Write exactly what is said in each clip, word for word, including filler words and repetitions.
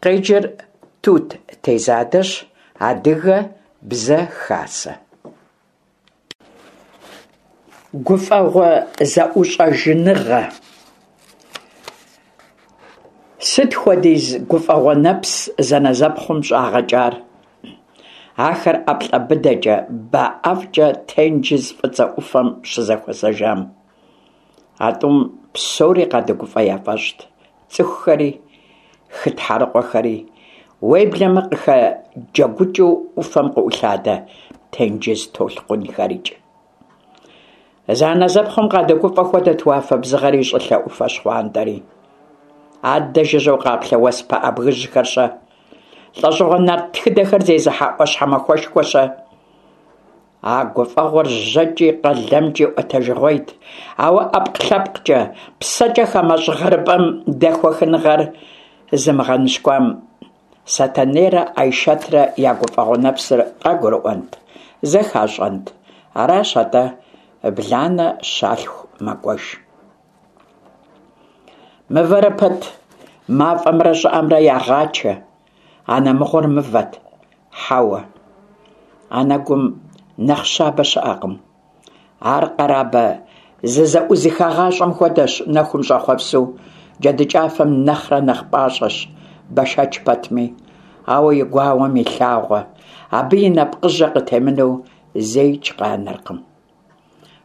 Къеджэр Тут Тезадэщ, Адыгэ Бзэ Хасэ. Гуфӏэгъуэ зэӏущӏэжыныгъэ. Сыт хуэдиз гуфӏэгъуэ нэпс зэнэзэпхъум щӏагъэкӏар? Ахэр ӏэплӏэ быдэкӏэ, ба ӏэфӏкӏэ тенджыз Фӏыцӏэ ӏуфэм щызэхуэзэжам. А тӏум псори къадэгуфӏэ яфӏэщӏт: цӏыхухэри, хы тхьэрыкъуэхэри, уеблэмэ къыхэджэгукӏыу ӏуфэм къыӏулъадэ тенджыз толъкъунхэрикӏ. Зэанэзэпхъум къадэгуфӏэ хуэдэт уафэ бзыгъэри щӏылъэ ӏуфэ щхъуантӏэри. Аддэ жыжьэу къаплъэ уэс пыӏэ бгыжьхэр-щэ? Лӏэщӏыгъуэ нарт тхыдэхэр зезыхьэ ӏуащхьэмахуэшхуэр-щэ? А гуфӏэгъуэр жьэкӏи къалэмкӏи ӏуэтэжыгъуейт, ауэ ӏэпкълъэпкъкӏэ, псэкӏэ хамэщӏ гъэрыпӏэм дэхуэхыныгъэр зымыгъэныщкӏуам Сэтэнейрэ Айшэтрэ я гуфӏэгъуэ нэпсыр къагурыӏуэнт, зэхащӏэнт? Аращ атӏэ, бланэ щалъху мэкӏуэж. Мывэрэ пэт мафӏэмрэ щӏыӏэмрэ ягъачэ. Анэ мыгъуэр мывэт? Хьэуэ. Анэгум нэхъ щабэ щыӏэкъым. Ар къэрабэ зызэӏузыхагъащӏэм хуэдэщ, нэхум щӏэхъуэпсу, джэдыкӏафэм нэхърэ нэхъ пӏащӏэщ, бэшэч пэтми. Ауэ и гуауэм и лъагъуэ, абы и нэпкъыжьэ къытемынэу зэикӏ къанэркъым.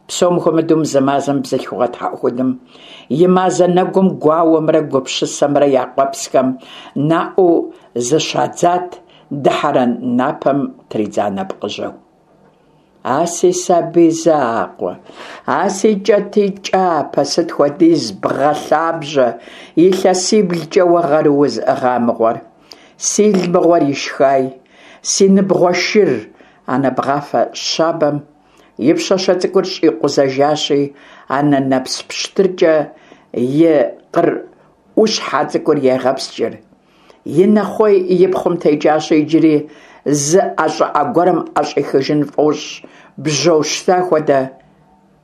Псом хуэмыдэу мы зы мазэм бзылъхугъэ тхьэӏухудым и мазэ нэгум гуауэмрэ гупсысэмрэ я къуэпсхэм наӏуэу зыщадзат дыхьэрэн напэм тридза нэпкъыжьэу. А си сабий закъуэ, а си кӏэтӏий кӏапэ, сыт хуэдиз бгъэ лъабжьэ илъэсиблкӏэ уэ гъэру узыӏыгъа мыгъуэр. Сил мыгъуэр ишхай, си ныбгъуэ шыр, анэ бгъафэ щабэм и пщащэ цӏыкӏур щӏикъузэжащи, анэ нэпс пщтыркӏэ и къыр ӏущхьэ цӏыкӏур егъэпскӏыр. И нэхъуей и пхъум текӏащи, иджыри зы ӏэ щӏыӏэ гуэрым ӏэщӏихыжын фӏощӏ, бжьо щта хуэдэ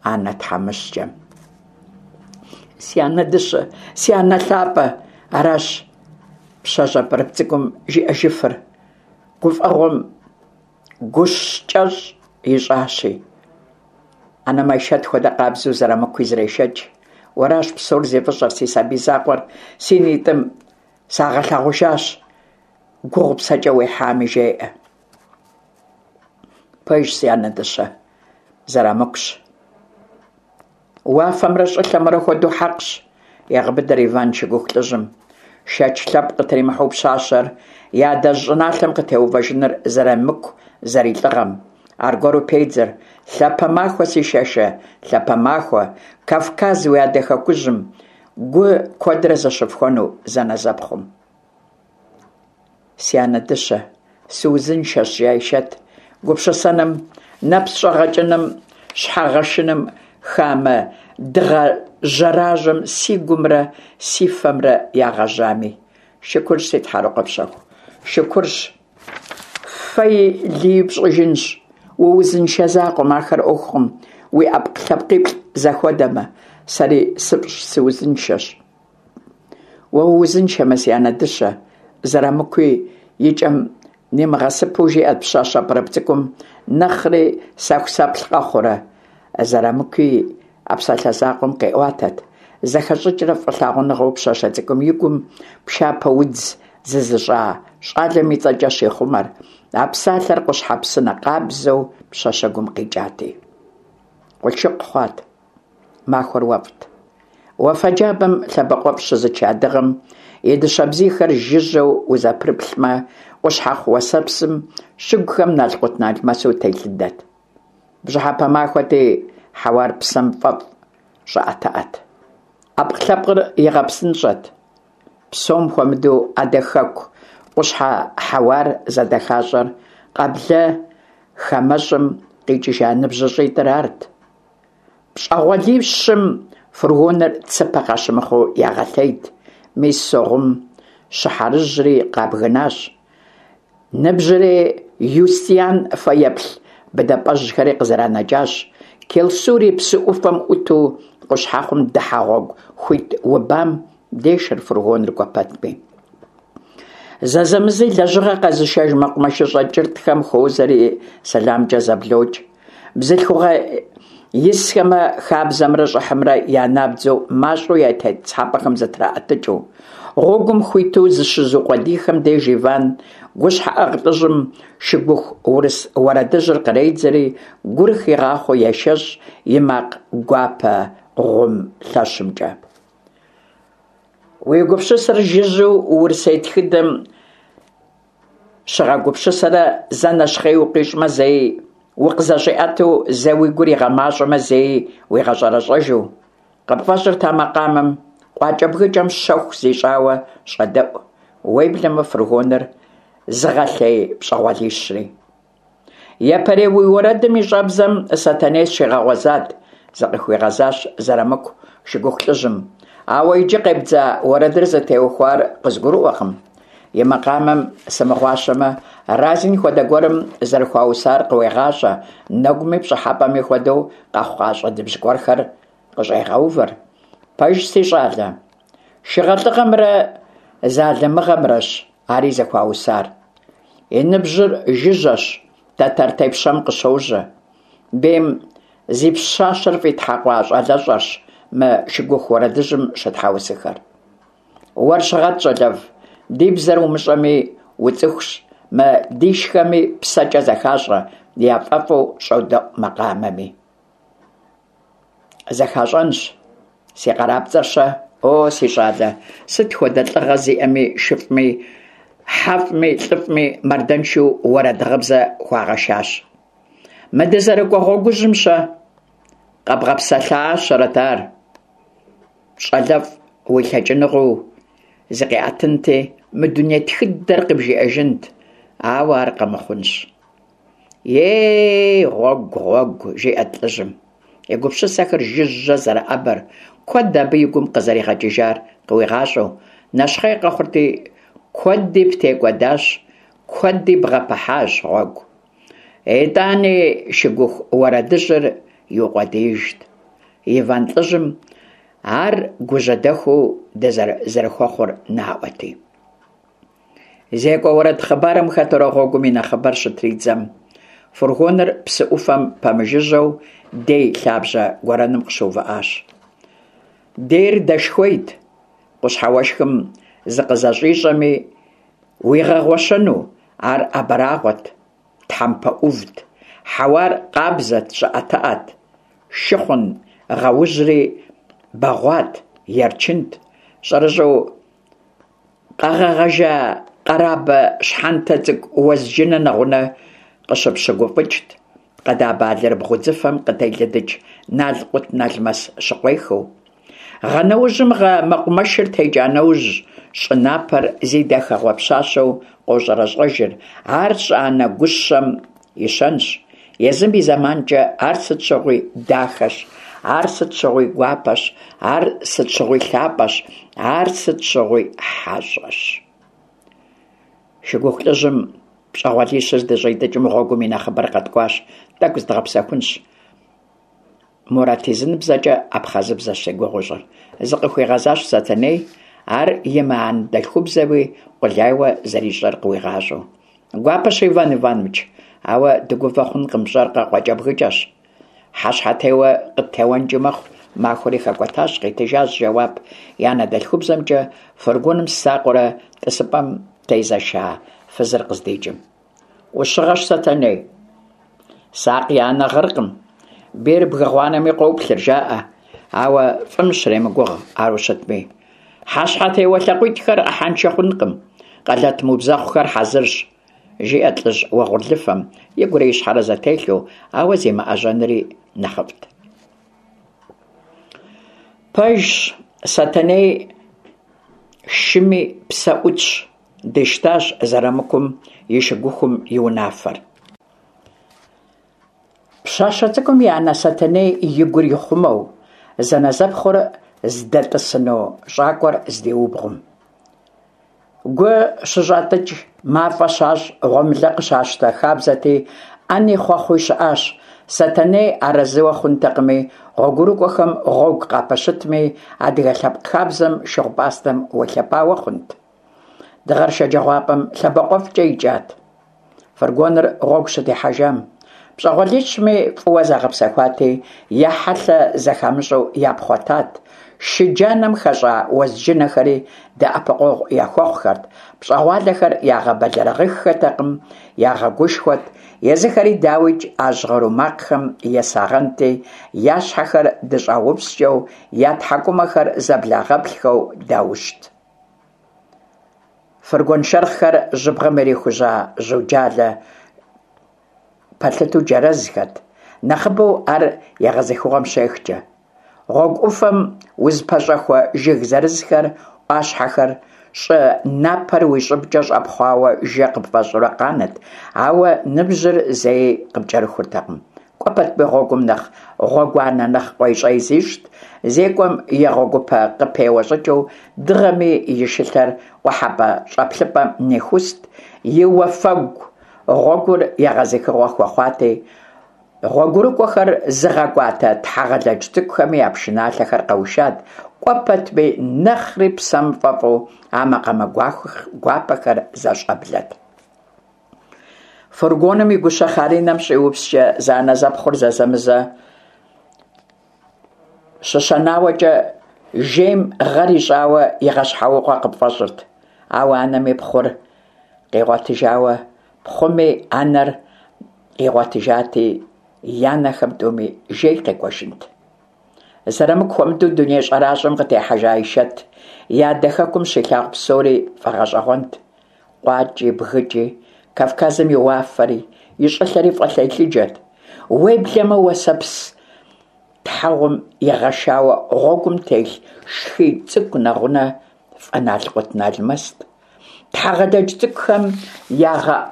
анэ тхьэмыщкӏэм. Си анэ дыщэ, си анэ лъапӏэ, аращ пщащэ пӏырыпӏ цӏыкӏум жиӏэжыфыр, гуфӏэгъуэм гущкӏэщӏ ищӏащи. Анэм Айшэт хуэдэ къабзэу Зырамыкуи зрешэкӏ. Уэращ псор зи фӏыщӏэр, си сабий закъуэр си нитӏым сагъэлъагъужащ, гугъу псэкӏэ уехьами, жеӏэ. Пэжщ, си анэ дыщэ, Зырамыкущ. Уафэмрэ щӏылъэмрэ хуэдэу хьэкъщ, егъэбыдэр Иван шыгуху лӏыжьым. Шэч лъэпкъ къытримыхьэу пщащэр и адэжь щӏыналъэм къытеувэжыныр Зырамыку зэрилӏыгъэм. Аргуэру педзэр: лъапэ махуэ, си шэшэ, лъапэ махуэ, Кавказ уи адэ хэкужьым, гу куэдрэ зэщыфхуэну зэнэзэпхъум. Си анэ дыщэ, сыузыншэщ, жи Айшэт, гупсысэным, нэпс щӏэгъэкӏыным, щхьэгъэшыным, хамэ дыгъэ жьэражьэм си гумрэ си фэмрэ ягъэжьами. Шыкурщ, си тхьэрыкъуэ пщэху, шыкурщ. Фэи лыи пщӏыжынщ. Уузыншэ закъуэм, ахэр ӏуэхукъым, уи ӏэпкълъэпкъиплӏ зэхуэдэмэ, сэри сыпщӏ сыузыншэщ. Уэ уузыншэмэ, си анэ дыщэ, Зырамыкуи и кӏэм нимыгъэсыпэу жиӏэрт пщащэ пӏырыпӏ цӏыкӏум, нэхъри сэхусэплъ къэхъурэ. Зырамыкуи а псалъэ закъуэм къиӏуатэт зэхэщӏыкӏрэ фӏылъагъуныгъэу пщащэ цӏыкӏум и гум пшапэ удз зызыщӏа щӏалэм и цӏэкӏэ щихъумэр, а псалъэр къущхьэ псынэ къабзэу пщащэгум къикӏати. Къулъшыкъу хъуат. Махуэр уэфӏт. Уафэ джабэм лъэбакъуэфӏ щызыча дыгъэм и дыщэ бзийхэр жыжьэу узэпрыплъмэ, къущхьэхъу уэсэпсым щыгухэм налкъутналмэсу телъыдэт. Бжьыхьэпэ махуэти, хьэуар псэм фӏэфӏ щӏыӏэтыӏэт. Ӏэпкълъэпкъыр игъэпсынщӏэт. Псом хуэмыдэу адэ хэку къущхьэ хьэуар зэдэхащӏэр къэблэ хамэщӏым къикӏыжа ныбжьыщӏитӏыр арт. Пщӏэгъуэлищым фургоныр цыпэ къащымыхъуу ягъэлъейт. Мис Согъум щыхьэрыжьри къабгынащ. Ныбжьырей Юстиан фэеплъ быдапӏэжьхэри къызэранэкӏащ. Келсури псы ӏуфэм ӏуту къущхьэхъум дыхьэ гъуэгу хуит убам дешэр фургоныр кӏуэ пэтми. Зэзэмызи лэжьыгъэ къэзышэж мэкъумэшыщӏэ кӏыртӏхэм хуозэри, сэламкӏэ зэблокӏ. Бзылъхугъэ исхэмэ, хабзэмрэ щӏыхьымрэ я набдзэу, мащӏэу я тетӏысхьэпӏэхэм зытраӏэтыкӏыу. Гъуэгум хуиту зыщызукъуэдийхэм деж Иван гущхьэӏыгъ лӏыжьым шыгуху урыс уэрэдыжьыр къредзэри, гур хигъахъуэу ешэщӏ и макъ гуапэ гъум лъэщымкӏэ. Уи гупсысэр жыжьэу урысей тхыдэм щыгъэгупсысэрэ зэ нэщхъей укъищӏмэ, зэи укъызэщӏиӏэтэу, зэ уи гур игъэмащӏэмэ, зэи уигъэщӏэрэщӏэжу. Къыпфӏэщӏырт а макъамэм къуакӏэбгыкӏэм щэху зищӏауэ щӏэдэӏу, уеблэмэ фургоныр зыгъэлъей пщӏэгъуалищри. Япэрей уи уэрэдым и щӏэбзэм Сэтэней сыщигъэгъуэзат, зыкъыхуигъэзащ Зэрамыку шыгуху лӏыжьым. Ауэ иджы къебдза уэрэдыр зытеухуар къызгурыӏуэкъым. И макъамэм сымыгъуащэмэ, Разин хуэдэ гуэрым зэрыхуаусар къыуегъащӏэ, нэгуми пщӏыхьэпӏэми хуэдэу къэхъукъащӏэ дыбжь гуэрхэр къыщӏегъэувэр. Пэжщ, си щӏалэ, шыгъэлӏыгъэмрэ залымыгъэмрэщ ари зыхуаусар. И ныбжьыр жыжьэщ, тэтэр тепщэм къыщожьэ. Бейм зи пщащэр фӏитхьэкъуа щӏалэщӏэрщ мы шыгуху уэрэдыжьым щытхьэусыхэр. Уэр щыгъэт, щӏалэфӏ, ди бзэр умыщӏэми уцӏыхущ, мы дишхэми псэкӏэ зэхащӏэ, яфӏэфӏу щӏодэӏу макъамэми. Зэхащӏэнщ. Си къарапцӏэр-щэ? О, си щӏалэ, сыт хуэдэ лӏыгъэ зиӏэми, шыфӏми, хьэфӏми, лӏыфӏми мардэншэу уэрэд-гъыбзэ хуагъэшащ. Мы дызэрыкӏуэ гъуэгужьым-щэ? Къэбгъэпсэлъащэрэт ар. ЩӀалэфӀ, уи лъэкӀыныгъэу зыкъиӀэтынти, мы дуней тхыдэр къыбжиӀэжынт, ауэ ар къэмыхъунщ. Ей, гъуэгу, гъуэгу, жиӀэрт лӀыжьым, и гупсысэхэр жыжьэ зэрыӀэбэр, куэд абы и гум къызэригъэкӀыжар къыуигъащӀэу, нэщхъей къэхъурти, куэди птекӀуэдащ, куэди бгъэпыхьащ гъуэгу. ИтӀани шыгуху уэрэдыжьыр иукъуэдиижт. Иван лӀыжьым ар гужьэдэхуу зэрыхуэхъур наӀуэти. ЗекӀуэ уэрэд хъыбарым хэтурэ гъуэгум и нэхъыбэр щытридзэм, фургоныр псы Ӏуфэм пэмыжыжьэу дей лъабжьэ гуэрэным къыщыувыӀащ. Дейр дэшхуейт, къущхьэ уэшхым зыкъызэщӀищӀэми уигъэгъуэщэну, ар абрагъуэт, тхьэмпэ Ӏувт, хьэуар къабзэт, щӀыӀэтыӀэт, шыхъун гъэужьри бэгъуат, ерчынт, щӀэрыщӀэу къэгъэгъэжа къэрабэ щхьэнтэ цӀыкӀу уэзджынэ нэгъунэ къыщыпщыгуфӀыкӀт, къэдабэ алэрыбгъу удзыфэм къытелыдыкӀ налкъутналмэс щыкъуехыу. Гъэ нэужьым гъэ мэкъумэшыр текӀа нэужь, щӀы напэр зи дахэгъуэ пщащэу къощӀэрэщӀэжыр, ар щӀы-анэ гущэм и щэнщ. Езым и зэманкӀэ ар сыт щыгъуи дахэщ, ар сыт щыгъуи гуапэщ, ар сыт щыгъуи лъапӀэщ, ар сыт щыгъуи хьэщӀэщ. Шыгуху лӀыжьым пщӀэгъуалищыр здыщӀитӀыкӀым гъуэгум и нэхъыбэр къэткӀуащ, тӀэкӀу зыдгъэпсэхунщ. МуратизыныбзэкӀэ абхъазыбзэщ зи гугъу ищӀыр, зыкъыхуигъэзащ Сэтэней, ар имыанэдэлъхубзэуи къулейуэ зэрищӀэр къыуигъащӀэу. Гуапэщ, Иван Иванович, ауэ дыгувэ хъункъым, пщӀэркъэ, къуакӀэбгыкӀэщ. Хьэщхьэтеуэ къыттеуэнкӀи мэхъу, махуэри хэкӀуэтащ, къитыжащ жэуап и анэдэлъхубзэмкӀэ фургоным сакъыурэ тӀысыпӀэм тезэша фызыр къыздикӀым. Ӏущыгъэщ, Сэтэней. Сакъ и анэ гъыркъым, бийр бгы гъуанэми къоплъыр, жаӀэ, ауэ фӀым щремыгугъ ару щытми. Хьэщхьэтеуэ лъакъуитӀхэр Ӏыхьэншэ хъункъым, къэлэт мыубзэхъухэр хьэзырщ, жиӀэрт лӀыжь уэгъурлыфэм, игурэ и щхьэрэ зэтелъу, ауэ зимыӀэжьэнри нэхъыфӀт. Пэжщ, Сэтэней шыми псэ Ӏутщ, дищтащ Зэрамыкум и шыгухум и унафэр. Пщащэ цӀыкӀум и анэ Сэтэней и гур ихъумэу, зэнэзэпхъур здэтӀысыну щӀакӀуэр здиубгъум. Гу щыщӀатӀыкӀ, мафӀэ щащӀ, гъуэмылэ къыщащтэ хабзэти, Ӏэни хъуэхъуи щыӀащ. Сэтэней арэзыуэ хъунтэкъыми, гъуэгурыкӀуэхэм гъуэгу къапэщытми, адыгэ лъэпкъ хабзэм шыгъу-пӀастэм уелъэпауэ хъунт? Дыгъэр шэджагъуапӏэм лъэбакъуэфӏкӏэ икӏат. Фургоныр гъуэгу щытехьэжам, пщӏэгъуалищми фӏыуэ загъэпсэхуати, я хьэлъэ зэхамыщӏэу япхъуэтат, шы джанэм хэщӏа уэзджынэхэри дэӏэпыкъуэгъу яхуэхъухэрт, пщӏэгъуалэхэр ягъэбэлэрыгъыххэртэкъым, ягъэгушхуэрт, езыхэри, дауикӏ, а жьгъыру макъхэм есагъэнти, я щхьэхэр дыщӏаупскӏэу, я тхьэкӏумэхэр зэблагъэплъхэу даущт. Фургон шэрхъхэр жьыбгъэм ирихужьа жьуджалэ пэлъытэу джэрэзхэт, нэхъыбэу ар егъэзыхыгъуэм щехкӏэ. Гъуэгу ӏуфэм узыпэщӏэхуэ жыг зырызхэр, ӏуащхьэхэр, щӏы напэр уи щӏыбкӏэ щӏэпхъуауэ жэ къыпфӏэщӏурэ къанэт, ауэ ныбжьыр зэи къыпкӏэрыхуртэкъым. Кӏуэ пэтми гъуэгум нэхъ гъуэгуанэ, нэхъ къуейщӏей зищӏт, зекӏуэм и гъуэгупэ къыпеуэ щӏыкӏэу дыгъэми и шылъэр къухьэпӏэ щӏэплъыпӏэм нихуст, и уафэгу гъуэгур егъэзыхыгъуэ хуэхъуати, гъуэгурыкӏуэхэр зыгъэкӏуатэ тхьэгъэлэдж цӏыкӏухэми я пшыналъэхэр къэушат, кӏуэ пэтми нэхъри псэм фӏэфӏу а макъамэ гуапэхэр зэщӏэблэт. Фургоным и гущэ хъаринэм щӏиупскӏэ зэанэзэпхъур зэзэмызэ щыщэнауэкӏэ жейм гъэр ищӏауэ игъэщхьэукъуэ къыпфӏэщӏырт. Ауэ анэми пхъур къигъуэтыжауэ, пхъуми анэр къигъуэтыжати, я нэхэм тӏуми жей къекӏуэжынт. Зэрымыку хуэмыдэу дуней щӏэращӏэм къытехьэжа Айшэт и адэ хэкум щилъагъу псори фӏэгъэщӏэгъуэнт. Къуакӏи, бгыкӏи, Кавказым и уафэри, и щӏылъэри фӏэтелъыджэт. Уеблэмэ уэсэпс тхьэгъум игъэшауэ гъуэгум телъ шхий цӏыкӏу нэгъунэ фӏэналкъутналмэст. Тхьэгъэлэдж цӏыкӏухэм ягъэӏу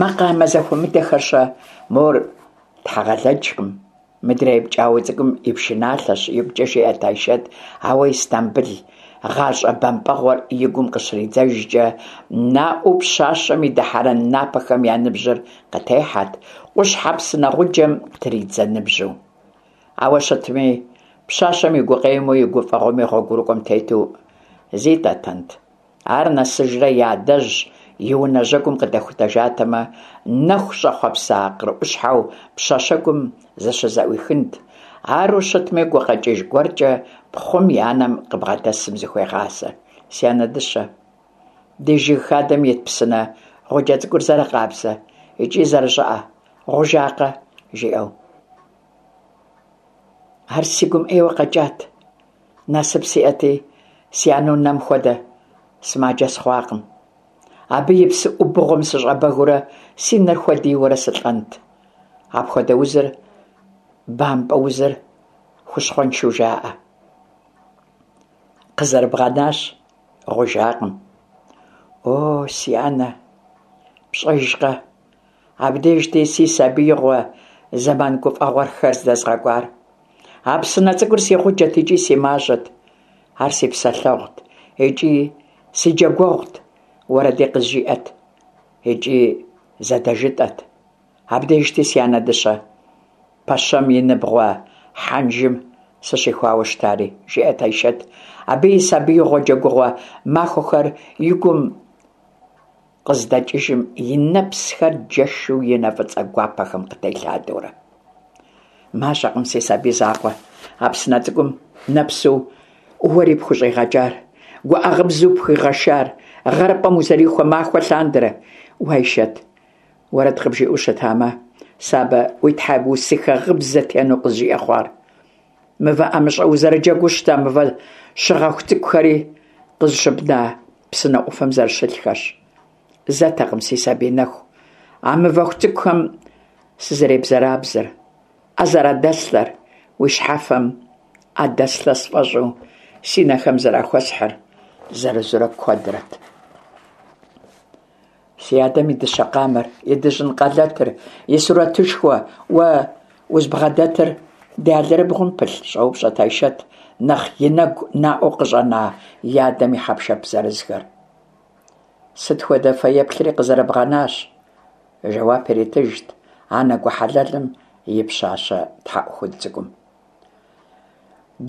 макъамэ зэхуэмыдэхэр-щэ? Мор тхьэгъэлэджкъым, мыдрей пкӏауэ цӏыкӏум и пшыналъэщ, игукӏэ жиӏэрт Айшэт, ауэ Истамбыл гъащӏэ бэмпӏэгъуэр и гум къыщридзэжкӏэ, наӏуэу пщащэм и дыхьэрэн напэхэм я ныбжьыр къытехьэрт, къущхьэ псынэ гъуджэм тридзэ ныбжьу. Ауэ щытми, пщащэм и гукъеуэми и гуфӏэгъуэми гъуэгурыкӏуэм тету зитӏэтэнт. Ар нэсыжрэ и адэжь и унэ жьэгум къыдэхутэжатэмэ, нэху щӏэхъуэпса къырӏущхьэу пщащэгум зыщызэӏуихынт. Ару щытми, гукъэкӏыж гуэркӏэ пхъум и анэм къыбгъэдэсым зыхуегъазэ. Си анэ дыщэ, ди жыг хадэм ит псынэ гъуджэ цӏыкӏур зэрыкъабзэ икӏи зэрыщӏыӏэ, гъужакъэ, жиӏэу. Ар си гум ӏейуэ къэкӏат. Насып сиӏэти, си анэу нэм хуэдэ сымаджэ сыхъуакъым. Абы и псы ӏубыгъуэм сыщӏэбэгыурэ си нэр хуэдийуэрэ сылӏэнт. Апхуэдэ узыр, бампӏэ узыр хущхъуэншэу жаӏэ. Къызэрыбгъэнащ, гъужакъым. О, си анэ, пщӏэжкъэ, абдежти си сабиигъуэ зэман гуфӏэгъуэхэр здэзгъэкӏуар. А псынэ цӏыкӏур си гъуджэт икӏи си мажьэт. Ар си псэлъэгъут икӏи си джэгуэгъут, уэрэди къызжиӏэт икӏи зэдэжытӏэт. Абдежти си анэ дыщэ пэщэм и ныбгъуэ хьэнжым сыщихуауэ щытари, жиӏэрт Айшэт. Абы и сабиигъуэ джэгугъуэ махуэхэр и гум къыздэкӏыжым и нэпсхэр джэшу и нэ фӏыцӏэ гуапэхэм къытелъадэурэ. Мащӏэкъым си сабий закъуэ а псынэ цӏыкӏум нэпсу уэри пхущӏигъэкӏар, гуӏэгъыбзу пхуигъэшар, гъэрыпӏэм узэрихуэ махуэ лъандэрэ. Уэ, Айшэт, уэрэд къыбжиӏэу щытамэ, сэ абы уи тхьэусыхэ гъыбзэ тену къызжиӏэ хъуар. Мывэ ӏэмыщӏэ узэрыджэгуу щыта мывэ щыгъэху цӏыкӏухэри къызыщыбна псынэ ӏуфэм зэрыщылъхэщ. Зэтэкъым си сабий нэху а мывэху цӏыкӏухэм сызэребзэрабзэр, ӏэ зэрадэслъэр, уи щхьэфэм ӏэ дэслъэ сфӏэщӏу си нэхэм зэрахуэсхьыр зэрызурэ куэдрэт. Си адэм и дыщэ къамэр, и дыжьын къалэтыр, и сурэтышхуэ уэ узбгъэдэтыр ди алэрыбгъум пылъ, щӏэупщӏэрт Айшэт, нэхъ и нэгу наӏуэу къыщӏэна и адэм и хьэпшып зырызхэр. Сыт хуэдэ фэеплъри къызэрыбгъэнащ, жэуап иритыжт анэ гу хьэлэлым и пщащэ тхьэӏухуд цӏыкӏум.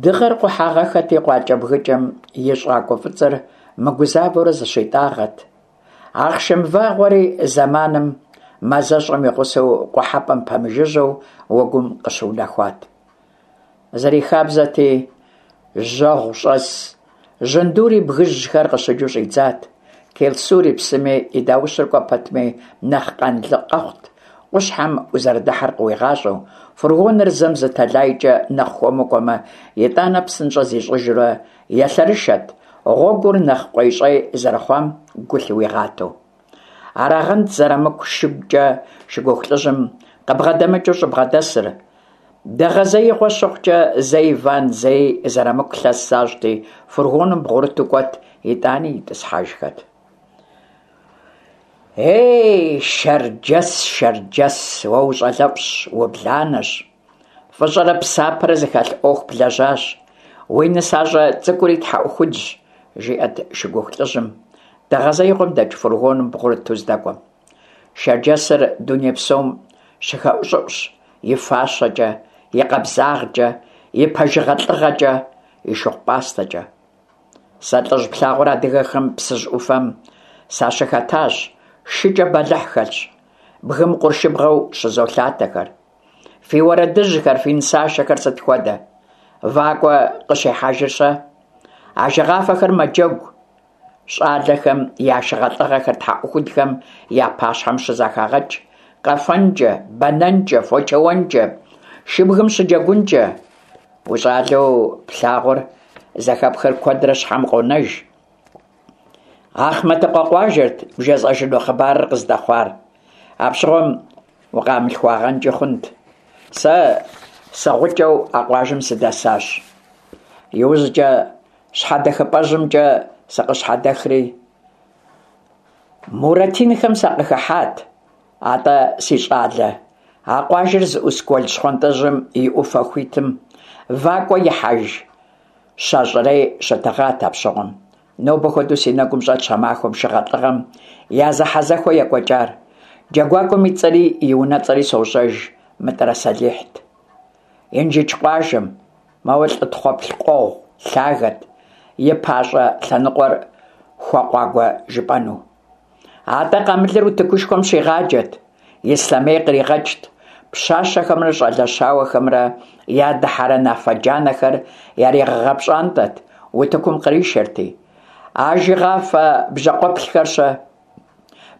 Дыгъэр къухьагъэххэти, къуакӏэбгыкӏэм и щӏакӏуэ фӏыцӏэр мыгузавэурэ зыщитӀагъэт. Ахъшэмвагъуэри зэманым мазэщӀэм и гъусэу къухьэпӀэм пэмыжыжьэу уэгум къыщыунэхуат. Зэрихабзэти, жьэгъущӀэс жьындури бгыжьхэр къыщыджу щӀидзат. Келсур и псыми и даущыр кӀуэ пэтми нэхъ къанлы къэхъут, къущхьэм узэрыдыхьэр къыуигъащӀэу, фургоныр зэм зы тэлайкӀэ нэхъ хуэму кӀуэмэ, итӀанэ псынщӀэ зищӀыжурэ елъэрышэт, гъуэгур нэхъ къуейщӀей зэрыхъуам гу лъыуигъатэу. Арагъэнт Зэрамыку шыгукӀэ шыгуху лӀыжьым къыбгъэдэмыкӀыу щӀыбгъэдэсыр. Дэгъэзеигъуэ щыхъукӀэ, зэ Иван, зэи Зэрамыку лъэс защӀти, фургоным бгъурыту кӀуэт, итӀани итӀысхьэжхэт. Ей, Шэрджэс, Шэрджэс, уэ ущӀалэфӀщ, убланэщ. ФӀыщӀэрэ псапэрэ зыхэлъ Ӏуэху блэжьащ. Уи нысащӀэ цӀыкӀури тхьэӀухудщ, жиӀэт шыгуху лӀыжьым, дэгъэзеигъуэм дэкӀ фургоным бгъурыту здэкӀуэм. Шэрджэсыр дуней псом щыхэӀущӀыӀущ и фащэкӀэ, и къабзагъкӀэ, и пэжыгъэ-лӀыгъэкӀэ, и шыгъу-пӀастэкӀэ. Сэ лӀыжь плъагъур адыгэхэм Псыжь Ӏуфэм сащыхэтащ, шыкӀэ бэлыхь хэлъщ, бгым къуршыбгъэу щызолъатэхэр. Фи уэрэдыжьхэр, фи нысашэхэр сыт хуэдэ? ВакӀуэ къыщихьэжыр-щэ? Ажэгъафэхэр мэджэгу. ЩӀалэхэм я шыгъэлӀыгъэхэр тхьэӀухудхэм я пащхьэм щызэхагъэкӀ. КъэфэнкӀэ, бэнэнкӀэ, фочэуэнкӀэ, шыбгым щыджэгункӀэ. УщӀалэу плъагъур, зэхэпхыр куэдрэ щхьэм къонэж. Ахъмэтыкъуэ къуажэрт бжесӀэжыну хъыбарыр къыздэхъуар. Апщыгъуэм укъамылъхуагъэнкӀи хъунт. Сэ сыгъукӀэу а къуажэм сыдэсащ. ИужькӀэ щхьэдэхыпӀэжьымкӀэ сыкъыщхьэдэхри, Муратинхэм сакъыхыхьат. АтӀэ, си щӀалэ, а къуажэр зыӀус гуэл щхъуантӀэжьым и Ӏуфэ хуитым вакӀуэ ихьэж щащӀырей щытыгъат апщыгъуэм. Нобэ хуэдэу си нэгум щӀэтщ а махуэм шыгъэлӀыгъэм я зэхьэзэхуэ екӀуэкӀар. ДжэгуакӀуэм и цӀэри и унэцӀэри сощӀэж, МытӀырэ Сэлихьт. Инжыдж къуажэм, моуэ лӀы тхъуэплъ къуэгъу лъагэт, и пащӀэ лъэныкъуэр хуэкъуагуэ жыпӀэну. АтӀэ къамылыр утыкушхуэм щигъаджэт, ислъэмей къригъэкӀт, пщащэхэмрэ щӀалэщауэхэмрэ я дыхьэрэн афэ джанэхэр яригъэгъэпщӀантӀэт, утыкум къришэрти. Ажэгъафэ бжьакъуэплъхэр-щэ?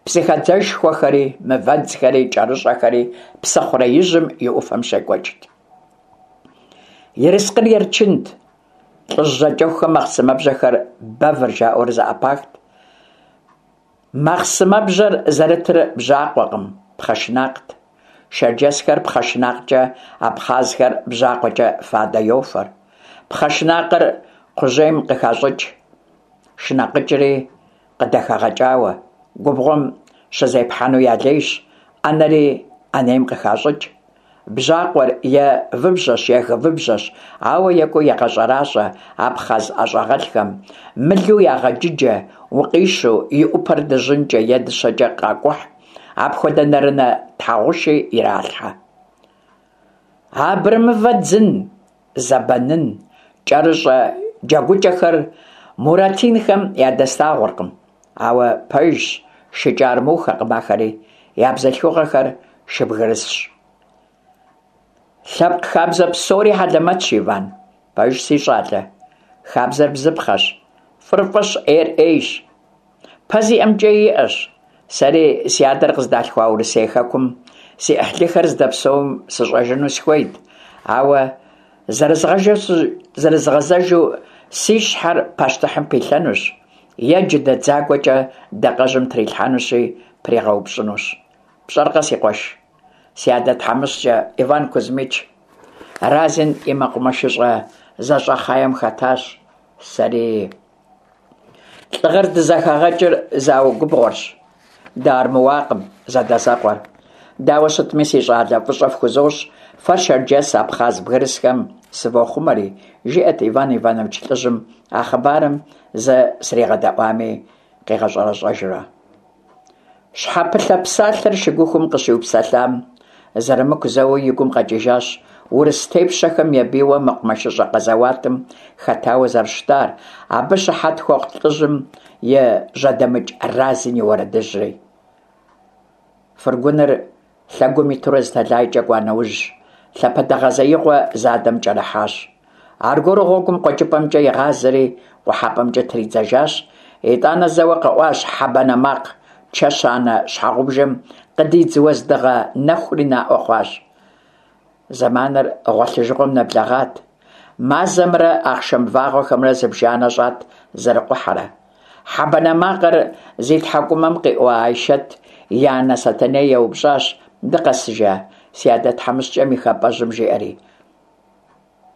Псыхэдзэшхуэхэри, мывэдзхэри, кӀэрыщӀэхэри псыхъуреижьым и Ӏуфэм щекӀуэкӀт. Ерыскъыр ерчынт, лӀыжь жьакӀэхухэм махъсымэбжьэхэр бэвыр жаӀэурэ зэӀэпахт. Махъсымэбжьэр зэрытыр бжьакъуэкъым, пхъэ шынакът. Шэрджэсхэр пхъэ шынакъкӀэ, абхъазхэр бжьакъуэкӀэ фадэ йофэр. Пхъэ шынакъыр кхъужьейм къыхащӀыкӀ, шынакъыкӀри къыдэхэгъэкӀауэ, губгъуэм щызепхьэну ялейщ, Ӏэнэри ӏэнейм къыхащӀыкӀ. Бжьакъуэр е выбжьэщ, е гывыбжьэщ, ауэ екӀуу ягъэщӀэращӀэ абхъаз ӀэщӀагъэлӀхэм, мылу ягъэджыджэ, укъищу, и Ӏупэр дыжьынкӀэ е дыщэкӀэ къакӀухь, апхуэдэ нэрынэ тхьэгъуши иралъхьэ. Абрэмывэ дзын, зэбэнын, кӀэрыщӀэ джэгукӀэхэр Муратинхэм ядэслъагъуркъым. Ауэ, пэжщ, шыкӀэ армухэкъым ахэри, я бзылъхугъэхэр шыбгырысщ. Лъэпкъ хабзэ псори хьэлэмэтщ, Иван. Пэжщ, си щӀалэ. Хабзэр бзыпхъэщ. ФӀыр фӀыщ, Ӏейр Ӏейщ. Пэ зиӀэм кӀэи иӀэщ. Сэри си адэр къыздалъхуа Урысей хэкум си Ӏыхьлыхэр здэпсэум сыщӀэжыну сыхуейт, ауэ зэрызгъэзэжу си щхьэр пащтыхьым пилъэнущ е джыдэ дзагуэкӀэ дакъэжьым трилъхьэнущи, пригъэупщӀынущ. ПщӀэркъэ, си къуэш, си адэ тхьэмыщкӀэ Иван Кузьмич Разин и мэкъумэшыщӀэ зэщӀэхъеем хэтащ. Сэри лӀыгъэр здызэхагъэкӀыр зауэ губгъуэрщ. Дыармыуакъым зэдэзэкъуэр. Дауэ щытми, си щӀалэ, фӀыщӀэ фхузощӀ, фэ шэрджэс, абхъаз бгырысхэм сывохъумэри, жиӀэрт Иван Иванович лӀыжьым, а хъыбарым зэ сригъэдэӀуами къигъэщӀэрэщӀэжурэ. Щхьэпылъэ псалъэр шыгухум къыщиупсэлъам, Зэрамыку зэуэ и гум къэкӀыжащ урыс тепщэхэм ебийуэ мэкъумэшыщӏэ къэзэуатым хэтауэ зэрыщытар, абы щыхьэт хуэхъу лӏыжьым и жьэдэмыкӏ Разин и уэрэдыжьри. Фургоныр лъэгум итурэ зы тэлайкӏэ кӏуа нэужь, лъапэдэгъэзеигъуэ задэм кӏэрыхьащ. Аргуэру гъуэгум къуэкӏыпӏэмкӏэ игъазэри, къухьэпӏэмкӏэ тридзэжащ. Итӏанэ зэуэ къэӏуащ хьэ банэ макъ, чэщанэ щхьэгъубжэм къыдидз уэздыгъэ нэхури наӏуэ хъуащ. Зэманыр гъуэлъыжыгъуэм нэблэгъат. Мазэмрэ ахъшэм вагъуэхэмрэ зыбжанэ щӏат зэрыкъухьэрэ. Хьэ банэ макъыр зи тхьэкӏумэм къиӏуа Айшэт и анэ Сэтэней еупщӏащ: «Дыкъэсыжа, си адэ тхьэмыщкӏэм и хапӏэжьым?» жиӏэри.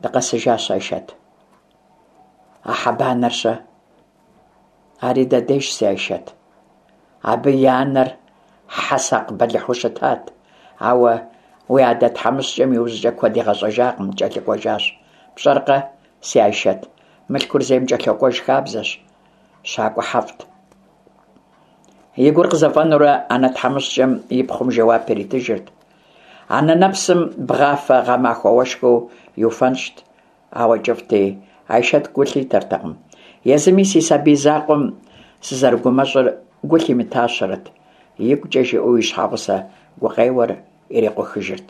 «Дыкъэсыжащ, Айшэт». «А хьэ банэр-щэ?» «Ари дэдейщ, си Айшэт». Абы и анэр хьэ сакъ бэлыхьу щытат, ауэ уи адэ тхьэмыщкӏэм иужькӏэ куэд игъэщӏэжакъым, кӏэлъыкӏуэжащ. Пщӏэркъэ, си Айшэт, мылъкур зейм кӏэлъокӏуэж хабзэщ. Щакӏуэ хьэфӏт. И гур къызэфӏэнурэ анэ тхьэмыщкӏэм и пхъум жэуап иритыжырт. Анэ нэпсым бгъафэ гъэмахуэ уэшхыу иуфэнщӏт, ауэ кӏыфӏти, Айшэт гу лъитэртэкъым. Езыми си сабий закъуэм сызэрыгумэщӏыр гу лъимытащэрэт, игукӏэ жиӏэу и щхьэгъусэ гукъеуэр ирикъухыжырт.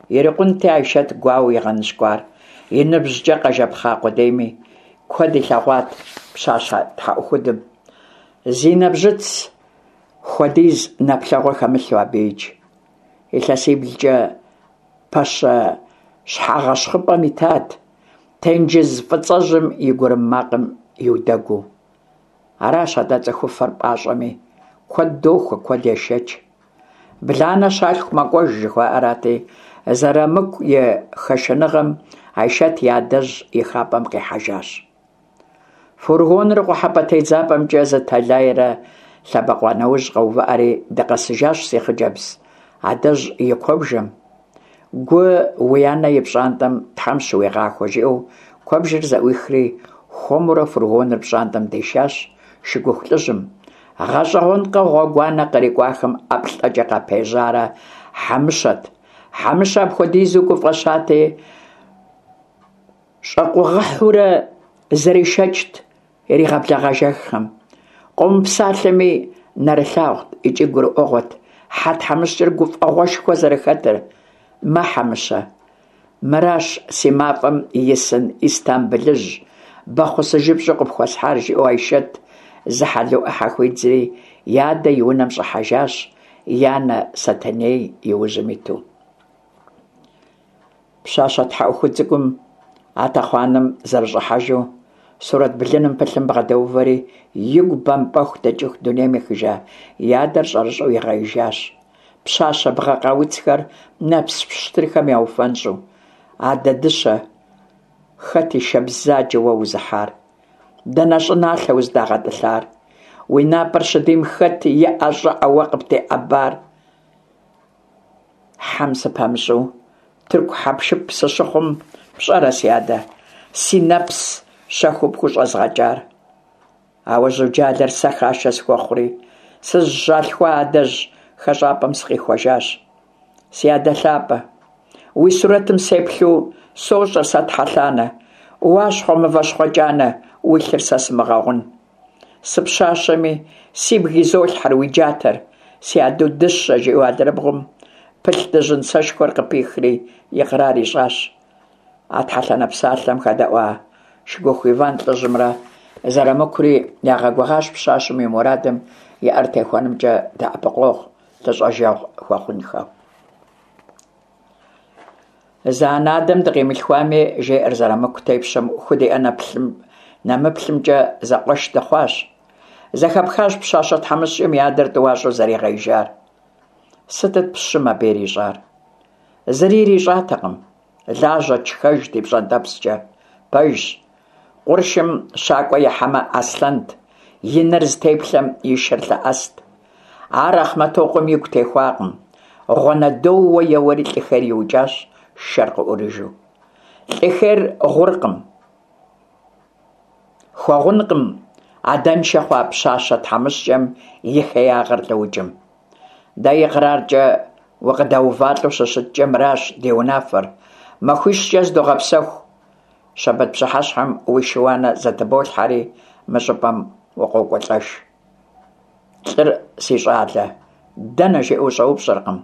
Ирикъунти Айшэт гуауэу игъэныщкӏуар, и ныбжькӏэ къэжэпхъа къудейми, куэд илъэгъуат пщащэ тхьэӏухудым. Зи нэбжьыц хуэдиз нэплъэгъуэ хэмылъу абыикӏ. Илъэсиблкӏэ пэщэ щхьэгъэщхъыпӏэм итат, тенджыз фӏыцӏэжьым и гурым макъым иудэгуу. Аращ атӏэ цӏыхуфэр пӏащӏэми, куэд дохуэ, куэд ешэч. Бланэ щалъху мэкӏуэж, жыхуаӏэрати, Зэрамыку и хэшэныгъэм Айшэт и адэжь и хапӏэм къихьэжащ. Фургоныр къухьэпӏэ тедзапӏэмкӏэ зы тэлайрэ лъэбэкъуа нэужь къэувыӏэри, дыкъэсыжащ, си хъыджэбз, адэжь и куэбжэм. Гу уи анэ и пщӏантӏэм Тхьэм щыуигъахуэ, жиӏэу куэбжэр зэӏуихри, хуэмурэ фургоныр пщӏантӏэм дишащ шыгуху лӏыжьым. Гъэщӏэгъуэнкъэ гъуэгуанэ кърикӏуахэм ӏэплӏэкӏэ къапежьарэ Хьэмыщэт. Хьэмыщэ апхуэдизу гуфӏэщати, щӏэкъугъыхьурэ зэришэкӏт иригъэблэгъэжэххэм. Къомыпсалъэми, нэрылъагъут икӏи гурыӏуэгъуэт хьэ тхьэмыщкӏэр гуфӏэгъуэшхуэ зэрыхэтыр. Мэ, Хьэмыщэ, мыращ си мафӏэм исын Истамбылыжь, бэхъусыжыпщӏу къыпхуэсхьар, жиӏэу Айшэт зы хьэлу ӏыхьэ хуидзри, и адэ и унэм щӏыхьэжащ, и анэ Сэтэней и ужьым иту. Пщащэ тхьэӏухуд цӏыкӏум а тэхъуанэм зэрыщӏыхьэжу, сурэт блыным пылъым бгъэдэувэри, игу бэмпӏэху дэкӏыху дунейм ехыжа и адэр щӏэрыщӏэу игъеижащ. Пщащэ бгъэ къауцхэр нэпс пщтырхэм яуфэнщӏу. Адэ дыщэ, хэт и шэ бзаджэ уэ узыхьар? Дэнэ щӏыналъэ уздагъэтӏылъар? Уи напӏэр щыдийм хэт и ӏэ щӏыӏэ уэ къыптеӏэбар? Хьэм сыпэмыщӏу, тырку хьэпшып сыщыхъум, пщӏэрэ, си адэ, си нэпс щэхуу пхущӏэзгъэкӏар? Ауэ жьуджалэр сэ хашэ схуэхъури, сызыщалъхуа адэжь хэщӏапӏэм сыкъихуэжащ. Си адэ лъапӏэ, уи сурэтым сеплъу сощӏэр сэ тхьэлъанэ, уащхъуэ мыващхъуэ кӏанэ, уи лъыр сэ сымыгъэгъун. Сыпщащэми, сибг изолъхьэр уи джатэр, си адэу дыщэ, жиӏэу алэрыбгъум пылъ дыжьын сэшхуэр къыпихри икърар ищӏащ. А тхьэлъанэ псалъэм хэдэӏуа Шыгуху Иван лӏыжьымрэ Зэрамыкури ягъэгугъащ пщащэм и мурадым и ӏэр техуэнымкӏэ дэӏэпыкъуэгъу, лъыщӏэжэгъу хуэхъунхэу. Зы анэ-адэм дыкъимылъхуами, жеӏэр Зэрамыку тепщэм худиӏэ нэмыплъымкӏэ зэкъуэш дыхъуащ. Зэхэпхащ пщащэ тхьэмыщкӏэм и адэр тӏуащӏэу зэригъеижар. Сытыт пщым абы ирищӏар? Зыри ирищӏатэкъым. Лажьэт, шхэжт и пщӏэнтӏэпскӏэ. Пэжщ, къуршым щакӏуэ ихьэмэ, аслъэнт, и нэр зытеплъэм и шэр лъэӏэст. Ар Ахъмэтокъуэм игу техуакъым. Гъуанэдоууэ еуэри лӏыхэр иукӏащ, шэр къыӏурыжу. Лӏыхэр гъуркъым. Хуэгъункъым адэншэ хъуа пщащэ тхьэмыщкӏэм и хеягъэр лӏыукӏым. Дэ икъраркӏэ укъыдэувалӏэу щыщыткӏэ, мыращ ди унафэр: махуищкӏэ зыдогъэпсэху. Щэбэт пщыхьэщхьэм уи шы-уанэ зэтыболъхьэри, мы щӏыпӏэм укъокӏуэлӏэж. Лӏыр, си щӏалэ, дэнэ жиӏэу ущӏэупщӏэркъым.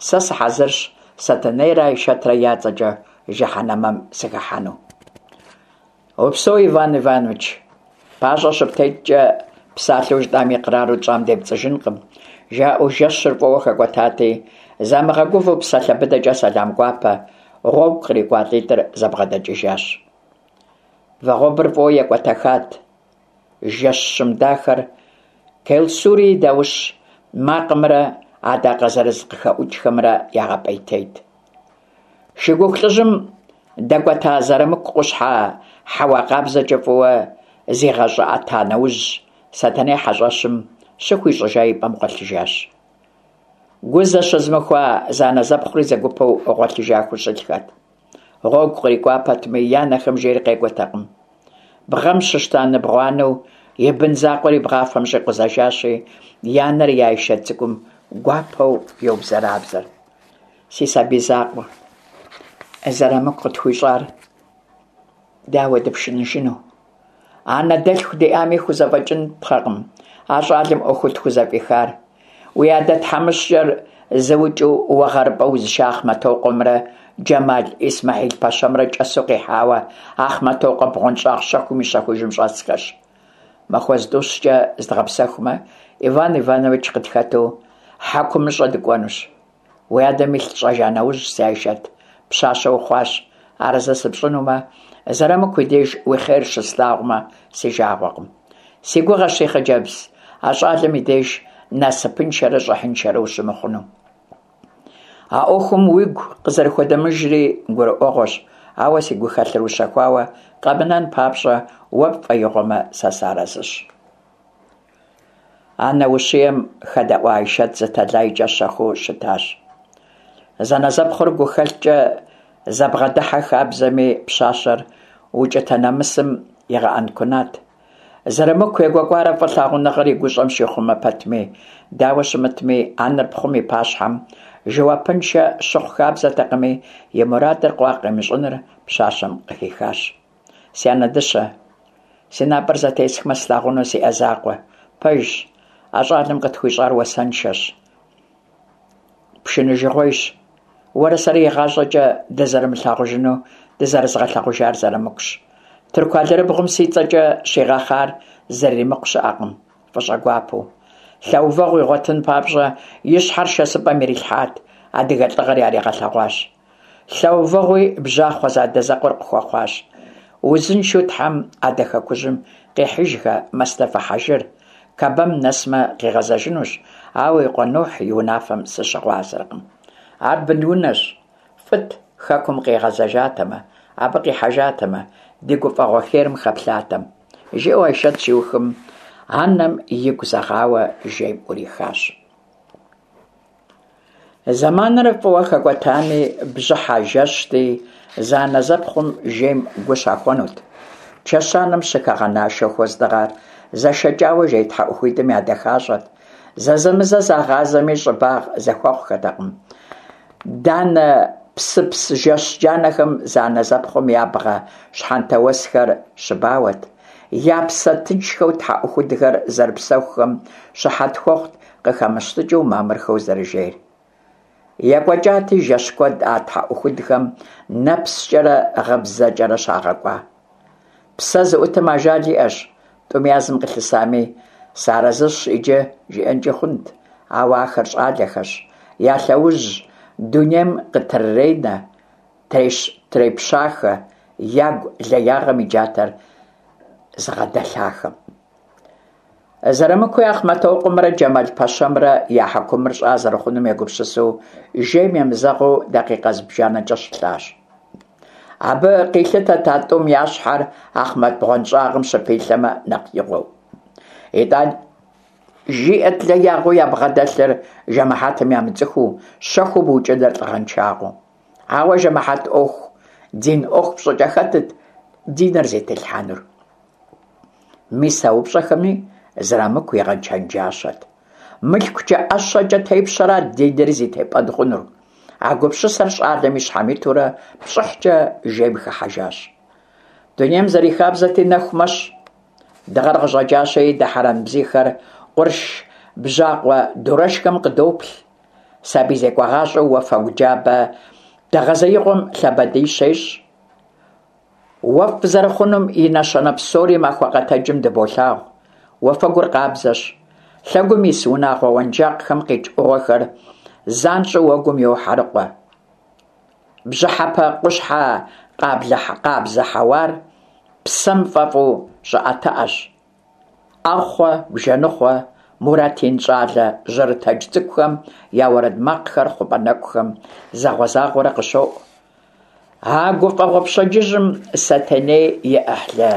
Сэ сыхьэзырщ Сэтэнейрэ Айшэтрэ я цӏэкӏэ жыхьэнэмэм сыхыхьэну. Упсэу, Иван Иванович. Пащӏэ щыптеткӏэ псалъэу жытӏам икърару тщӏам депцӏыжынкъым, жаӏэу жэщыр фӏыуэ хэкӏуэтати, замыгъэгувэу псалъэ быдэкӏэ сэлам гуапэ гъуэгу кърикӏуа лӏитӏыр зэбгъэдэкӏыжащ. Вагъуэбэр фӏыуэ екӏуэтэхат. Жэщ щым дахэр Келсури и даущ макъымрэ адакъэ зырыз къыхэӏукӏхэмрэ ягъэпӏейтейт. Шыгуху лӏыжьым дэкӏуэта Зэрамыку къущхьэ хьэуа къабзэкӏэ фӏыуэ зигъэщӏыӏэта нэужь, Сэтэней хьэщӏэщым щыхуищӏыжа и пӏэм гъуэлъыжащ. Гу зэщызмыхуа зэанэзэпхъури зэгупэу гъуэлъыжа хущылъхэт. Гъуэгу кърикӏуа пэтми, я нэхэм жейр къекӏуэтэкъым. Бгъэм щыщта ныбгъуанэу и бын закъуэр и бгъафэм щӏикъузэжащи, и анэр и Айшэт цӏыкӏум гуапэу йобзэрабзэр. Си сабий закъуэ, Зэрамыку къытхуищӏар дауэ дыпшыныжыну? Анэ дэлъху диӏами хузэфӏэкӏынпхъэкъым а щӏалэм ӏуэхуу тхузэфӏихар. Уи адэ тхьэмыщкӏэр зыукӏыу уэ гъэрыпӏэ узыша Ахъмэтокъуэмрэ Джэмал Исмэхьил пэщэмрэ кӏэсу къихьауэ Ахъмэтокъуэ бгъуэнщӏагъ щэхум и щэхужым щӏэсхэщ. Махуэ зытӏущкӏэ зыдгъэпсэхумэ, Иван Иванович къытхэту хьэкумыщӏэ дыкӏуэнущ. Уи адэм илъ тщӏэжа нэужь, си Айшэт, пщащэ ухъуащ, арэзы сыпщӏынумэ, Зэрамыку и деж уи хъер щыслъагъумэ, си жагъуэкъым. Си гугъэщ, си хъыджэбз, а щӏалэм и деж насыпыншэрэ щӏыхьыншэрэ ущымыхъуну. А ӏуэхум уигу къызэрыхуэдэмыжри гурыӏуэгъуэщ, ауэ си гухэлъыр ущэхуауэ къэмынэн папщӏэ, уэ пфӏэигъуэмэ, сэ сыарэзыщ. Анэ ущием хэдэӏуа Айшэт зы тэлайкӏэ щэхуу щытащ. Зэнэзэпхъур гухэлъкӏэ зэбгъэдыхьэ хабзэми, пщащэр укӏытэ нэмысым игъэӏэнкунат. Зэрамыку егуэкӏуарэ фӏы лъагъуныгъэр и гущӏэм щихъумэ пэтми, дауэ щымытми, анэр пхъум и пащхьэм жэуапыншэ щыхъу хабзэтэкъыми, и мурадыр къуакъ къимыщӏыныр пщащэм къыхихащ. Си анэ дыщэ, си напӏэр зэтесхмэ слъагъуну сиӏэ закъуэ. Пэжщ, а щӏалэм къытхуищӏар уасэншэщ, пшыныжыгъуейщ. Уэрэ сэрэ игъащӏэкӏэ дызэрымылъагъужыну дызэрызгъэлъагъужар Зэрамыкущ. Тырку алэрыбгъум си цӏэкӏэ щигъэхъар зэрыримыкъу щыӏэкъым, фӏыщӏэгуапэу. Лъэувэгъу игъуэтын папщӏэ и щхьэр шэсыпӏэм ирилъхьат, адыгэ лӏыгъэр яригъэлъэгъуащ. Лъэувэгъуи бжьахъуэ задэзэкъуэр къыхуэхъуащ. Узыншэу Тхьэм адэ хэкужьым къихьыжхэ Мэстэфэ Хьэжыр, Кабэм нэсмэ къигъэзэжынущ, ауэ и къуэ Нухь и унафэм сыщыгъуазэркъым. Ар бынунэщ, фӏыт хэкум къигъэзэжатэмэ, абы къихьэжатэмэ, ди гуфӏэгъуэ херым хэплъатэм. Жиӏэу Айшэт щиухым, анэм игу зэгъауэ жейм ӏурихащ. Зэманыр фӏыуэ хэкӏуэтами, бжьыхьэ жэщти, зэанэзэпхъум жейм гу щахуэнут. Чэщанэм щыхэгъэна шэху уэздыгъэр зэшэкӏауэ жей тхьэӏухуитӏым ядэхащӏэт. Зэзэмызэ загъазэми, щӏыбагъ зэхуэхъухэтэкъым. Данэ псыпс жэщ джанэхэм зэанэзэпхъум я бгъэ щхьэнтэ уэсхэр щыбауэт. Я псэ тыншхэу тхьэӏухудхэр зэрыпсэхухэм щыхьэт хуэхъут къыхэмыщтыкӏыу мамырхэу зэрыжейр. Екӏуэкӏати жэщ куэд а тхьэӏухудхэм нэпскӏэрэ гъыбзэкӏэрэ щагъэкӏуа. Псэ зыӏутым ажал иӏэщ, тӏум язым къылъысами, сыарэзыщ иджы, жиӏэнкӏи хъунт, ауэ ахэр щӏалэхэщ, я лъэужь дунейм къытрыренэ, трепщахэ, ягу леягъэм и джатэр зыгъэдэлъахэм. Зэрамыкуи Ахъмэтокъуэмрэ Джэмал пэщэмрэ я хьэкумыр щӏа зэрыхъунум егупсысу, жейм емызэгъыу дакъикъэ зыбжанэкӏэ щылъащ. Абы къилъытэт а тӏум я щхьэр Ахъмэт бгъуэнщӏагъым щыпилъэмэ нэхъ игъуэу. Итӏани жиӏэт леягъэу ябгъэдэлъыр жэмыхьэтым ямыцӏыхуу, щэхуу быукӏыныр лӏыгъэншагъэу. Ауэ жэмыхьэт ӏуэху, дин ӏуэху пщӏыкӏэ хэтыт диныр зетелъхьэнур? Мис а упщӏэхэми Зэрамыку игъэчэнджащэт. Мылъкукӏэ, ӏэщэкӏэ тепщэрат диныр зи тепӏэн хъунур. А гупсысэр щӏалэм и щхьэм итурэ пщӏыхькӏэ жейм хыхьэжащ. Дунейм зэрихабзэти, нэху мэщ. Дыгъэр къыщӏэкӏащи, дыхьэрэн бзийхэр къурш бжьакъуэ дурэшхэм къыдоплъ. Сабий зекӏуагъащӏэу уафэгу джабэ дэгъэзеигъуэм лъабэдий щещӏ. Уэфӏ зэрыхъунум и нэщэнэ псори махуэ къэтэджым дыболъагъу. Уафэгур къабзэщ. Лъэгум ис унагъуэ уэнжакъхэм къикӏ ӏугъуэхэр занщӏэу уэгум йохьэрыкъуэ. Бжьыхьэпэ къущхьэ къабзэ хьэуар псэм фӏэфӏу щӏыӏэтыӏэщ. ӏэхъуэ, бжэныхъуэ, Муратин щӏалэ жьэрытэдж цӏыкӏухэм я уэрэд макъхэр хъупӏэ нэкӏухэм загъуэ-загъуэрэ къыщоӏу. А гуфӏэгъуэ пщэдджыжьым Сэтэней и ӏыхьлы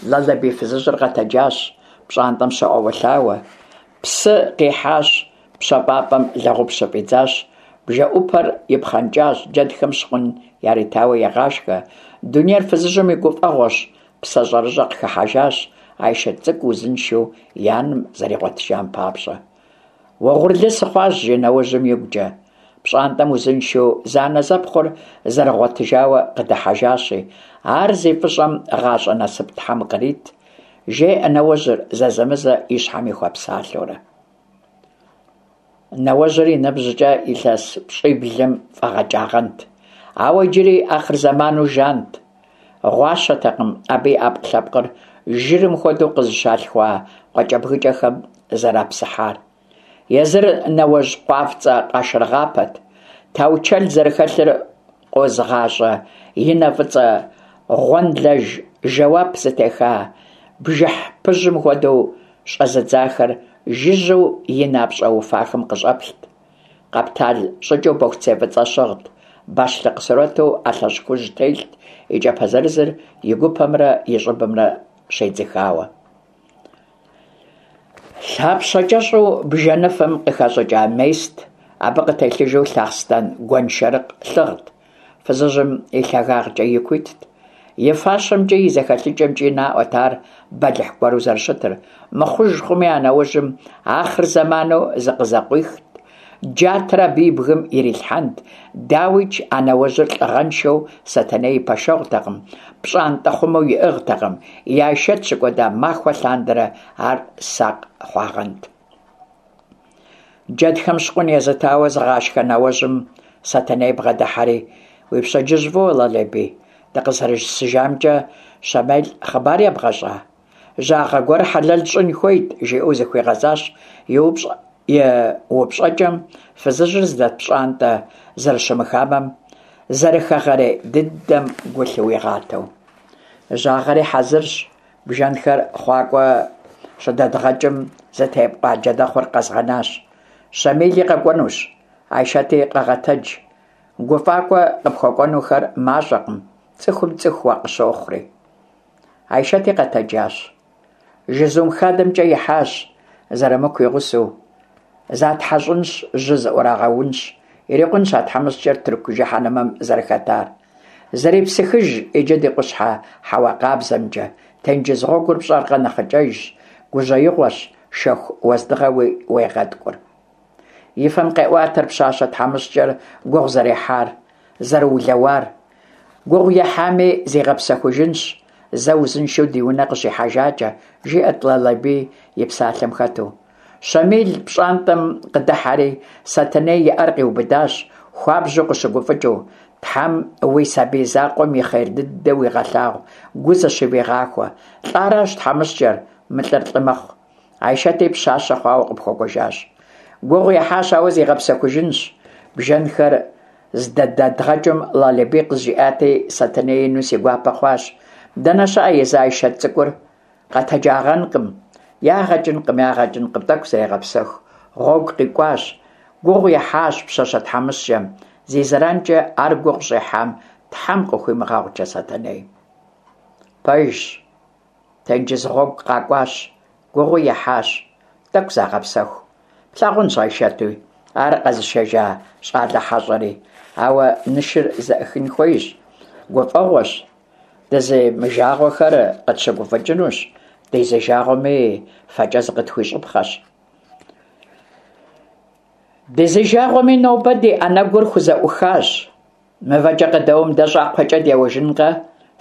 Лалэбий фызыжьыр къэтэджащ, пщӏантӏэм щоӏэуэлъауэ. Псы къихьащ, пщэфӏапӏэм лэгъуп щыфӏидзащ, бжэӏупэр ипхъэнкӏащ, джэдхэм щкъун яритауэ егъашхэ. Дунейр фызыжьым и гуфӏэгъуэщ, псэ щӏэрыщӏэ къыхыхьэжащ, Айшэт цӏыкӏу узыншэу и анэм зэригъуэтыжам папщӏэ. Уэгъурлы сыхъуащ, жи нэужьым игукӏэ. Пщӏантӏэм узыншэу зэанэзэпхъур зэрыгъуэтыжауэ къыдыхьэжащи, ар зи фӏыщӏэм гъащӏэ насып Тхьэм кърит, жеӏэ нэуэжьыр зэзэмызэ и щхьэми хуэпсалъэурэ. Нэуэжьыр и ныбжькӏэ илъэс пщӏиблым фӏэгъэкӏагъэнт, ауэ иджыри ахъырзэману жант. Гъуащэтэкъым абы и ӏэпкълъэпкъыр жырым хуэдэу къызыщалъхуа къуакӏэбгыкӏэхэм зэрапсыхьар. Езыр нэуэжь къуафцӏэ къашыргъапэт. Таучэл зэрыхэлъыр къозыгъащӏэ и нэ фӏыцӏэ гъуэнлэж жэуап зытеха бжыхь пыжьым хуэдэу щӏэзыдзахэр жыжьэу и напщӏэ уфахэм къыщӏэплът. Къэптал щӏыкӏэу бохуцей фӏыцӏэ щыгът, бащлъыкъ сурэту ӏэлъэщӏ хужь телът, и кӏапэ зырызыр и гупэмрэ и щӏыбымрэ щедзыхауэ. Лъапщэ кӏэщӏу бжэныфэм къыхэщӏыкӏа мест, абы къытелъыжу лъахъстэн гуэншэрыкъ лъыгът. Фызыжьым и лъагагъкӏэ ику итт. И фащэмкӏи и зэхэлъыкӏэмкӏи наӏуэт ар бэлыхь гуэру зэрыщытыр. Мыхъуж хъуми, а нэужьым ахъырзэману зыкъызэкъуихт, джатэр абы и бгым ирилъхьэнт. Дауикӏ, а нэуэжьыр лӏыгъэншэу Сэтэней и пэшэгъутэкъым, пщӏантӏэ хъумэу иӏыгътэкъым, и Айшэт щыкӏуэда махуэ лъандэрэ ар сакъ хъуагъэнт. Джэдхэм щкъун езытауэ зыгъашхэ нэуэжьым Сэтэней бгъэдыхьэри: «Уи пщэдджыжь фӏыуэ, Лалэбий, дыкъызэрысыжамкӏэ Щэмел хъыбар ебгъэщӏа? Жьагъэ гуэр хьэлэл щӏын хуейт», жиӏэу зыхуигъэзащ и упщӏэкӏэм фызыжьыр зыдэт пщӏантӏэ зэрыщымыхамэм, зэрыхэгъэрей дыдэм гу лъыуигъатэу. Жьагъэри хьэзырщ, бжэнхэр хъуакӏуэ щыдэдгъэкӏым зытепӏуа джэдэхъур къэзгъэнащ. Щэмели къэкӏуэнущ, Айшэти къэгъэтэдж. Гуфӏакӏуэ къыпхуэкӏуэнухэр мащӏэкъым, цӏыхум цӏыху уакъыщохъури. Айшэти къэтэджащ. Жызум хадэмкӏэ ихьащ, Зэрамыку и гъусэу. Затхьэщӏынщ, жьы зыӏурагъэунщ. Ирикъунщ а тхьэмыщкӏэр тырку жыхьэнэмэм зэрыхэтар. Зэрепсыхыж иджы ди къущхьэ хьэуа къабзэмкӏэ. Тенджыз гъуэгур пщӏэркъэ нэхъыкӏэжщ, гужьеигъуэщ, шэху уэздыгъэуи уегъэткӏур. И фэм къеӏуатэр пщащэ тхьэмыщкӏэр гугъу зэрехьар, зэрыулэуар. Гугъу ехьами, зигъэпсэхужынщ, зэ узыншэу ди унэ къыщихьэжакӏэ, жиӏэрт Лалэбий и псалъэм хэту. Щэмил пщӏантӏэм къыдыхьэри, Сэтэней и ӏэр къиубыдащ, хуабжьу къыщыгуфӏыкӏыу. Тхьэм уи сабий закъуэм и хъер дыдэ уигъэлъагъу, гу зэщывигъахуэ. Лӏаращ тхьэмыщкӏэр, мылӏэр лӏы мэхъу. Айшэти пщащэ хъуауэ къыпхуэкӏуэжащ. Гугъу ехьащ, ауэ зигъэпсэхужынщ. Бжэнхэр здэдэдгъэкӏым Лалэбий къызжиӏати, Сэтэней ину си гуапэ хъуащ. Дэнэ щыӏэ езы Айшэт цӏыкӏур? Къэтэджагъэнкъым. Ягъэкӏынкъым, ягъэкӏынкъым, тӏэкӏу зрегъэпсэху. Гъуэгу къикӏуащ. Гугъу ехьащ пщащэ тхьэмыщкӏэм. Зи зэранкӏэ ар гугъу щӏехьам Тхьэм къыхуимыгъэгъукӏэ Сэтэней. Пэжщ, тенджыз гъуэгу къакӏуащ, гугъуи ехьащ, тӏэкӏу загъэпсэху. Плъагъунщ Айшэтуи, ар къэзышэжа щӏалэ хьэщӏэри. Ауэ нышыр зэӏыхын хуейщ, гуфӏэгъуэщ, дызимыжагъуэхэр къытщыгуфӏыкӏынущ, дизыжагъуэми фэкӏэ зыкъытхуищӏыпхъэщ. Дызижагъуэми, нобэ ди ӏэнэгур хузэӏухащ. Мывэкӏэ къыдэуэм дэ щӏакхъуэкӏэ деуэжынкъэ,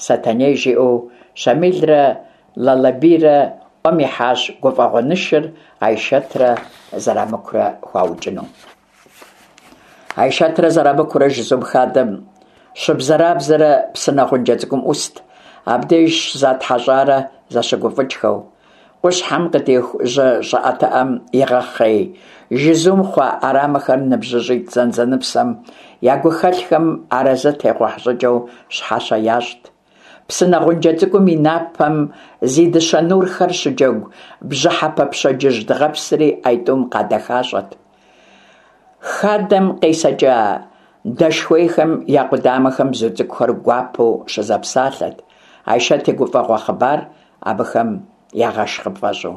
Сэтэней жиӏэу Щамилрэ Лалэбийрэ ӏуэм ихьащ гуфӏэгъуэ нышыр Айшэтрэ Зэрамыкурэ хуаукӏыну. Айшэтрэ Зэрамыкурэ жызум хадэм щыбзэрабзэрэ псынэ гъунджэ цӏыкӏум ӏуст, абдеж щызатхьэщӏарэ зэщыгуфӏыкӏхэу. Къущхьэм къыдиху жьы щӏыӏэтыӏэм игъэхъей жызум хъуа ӏэрамэхэр ныбжьыщӏитӏ зэнзэныпсэм я гухэлъхэм арэзы техъухь щӏыкӏэу щхьэщэ ящӏт. Псынэ гъунджэ цӏыкӏум и напэм зи дыщэ нурхэр щыджэгу бжьыхьэпэ пщэдджыжь дыгъэпсри аитӏум къадэхащӏэт. Хадэм къесэкӏа дэшхуейхэм я къудамэхэм бзу цӏыкӏухэр гуапэу щызэпсалъэт, Айшэт и гуфӏэгъуэ хъыбар абыхэм ягъэш къыпфӏэщӏу.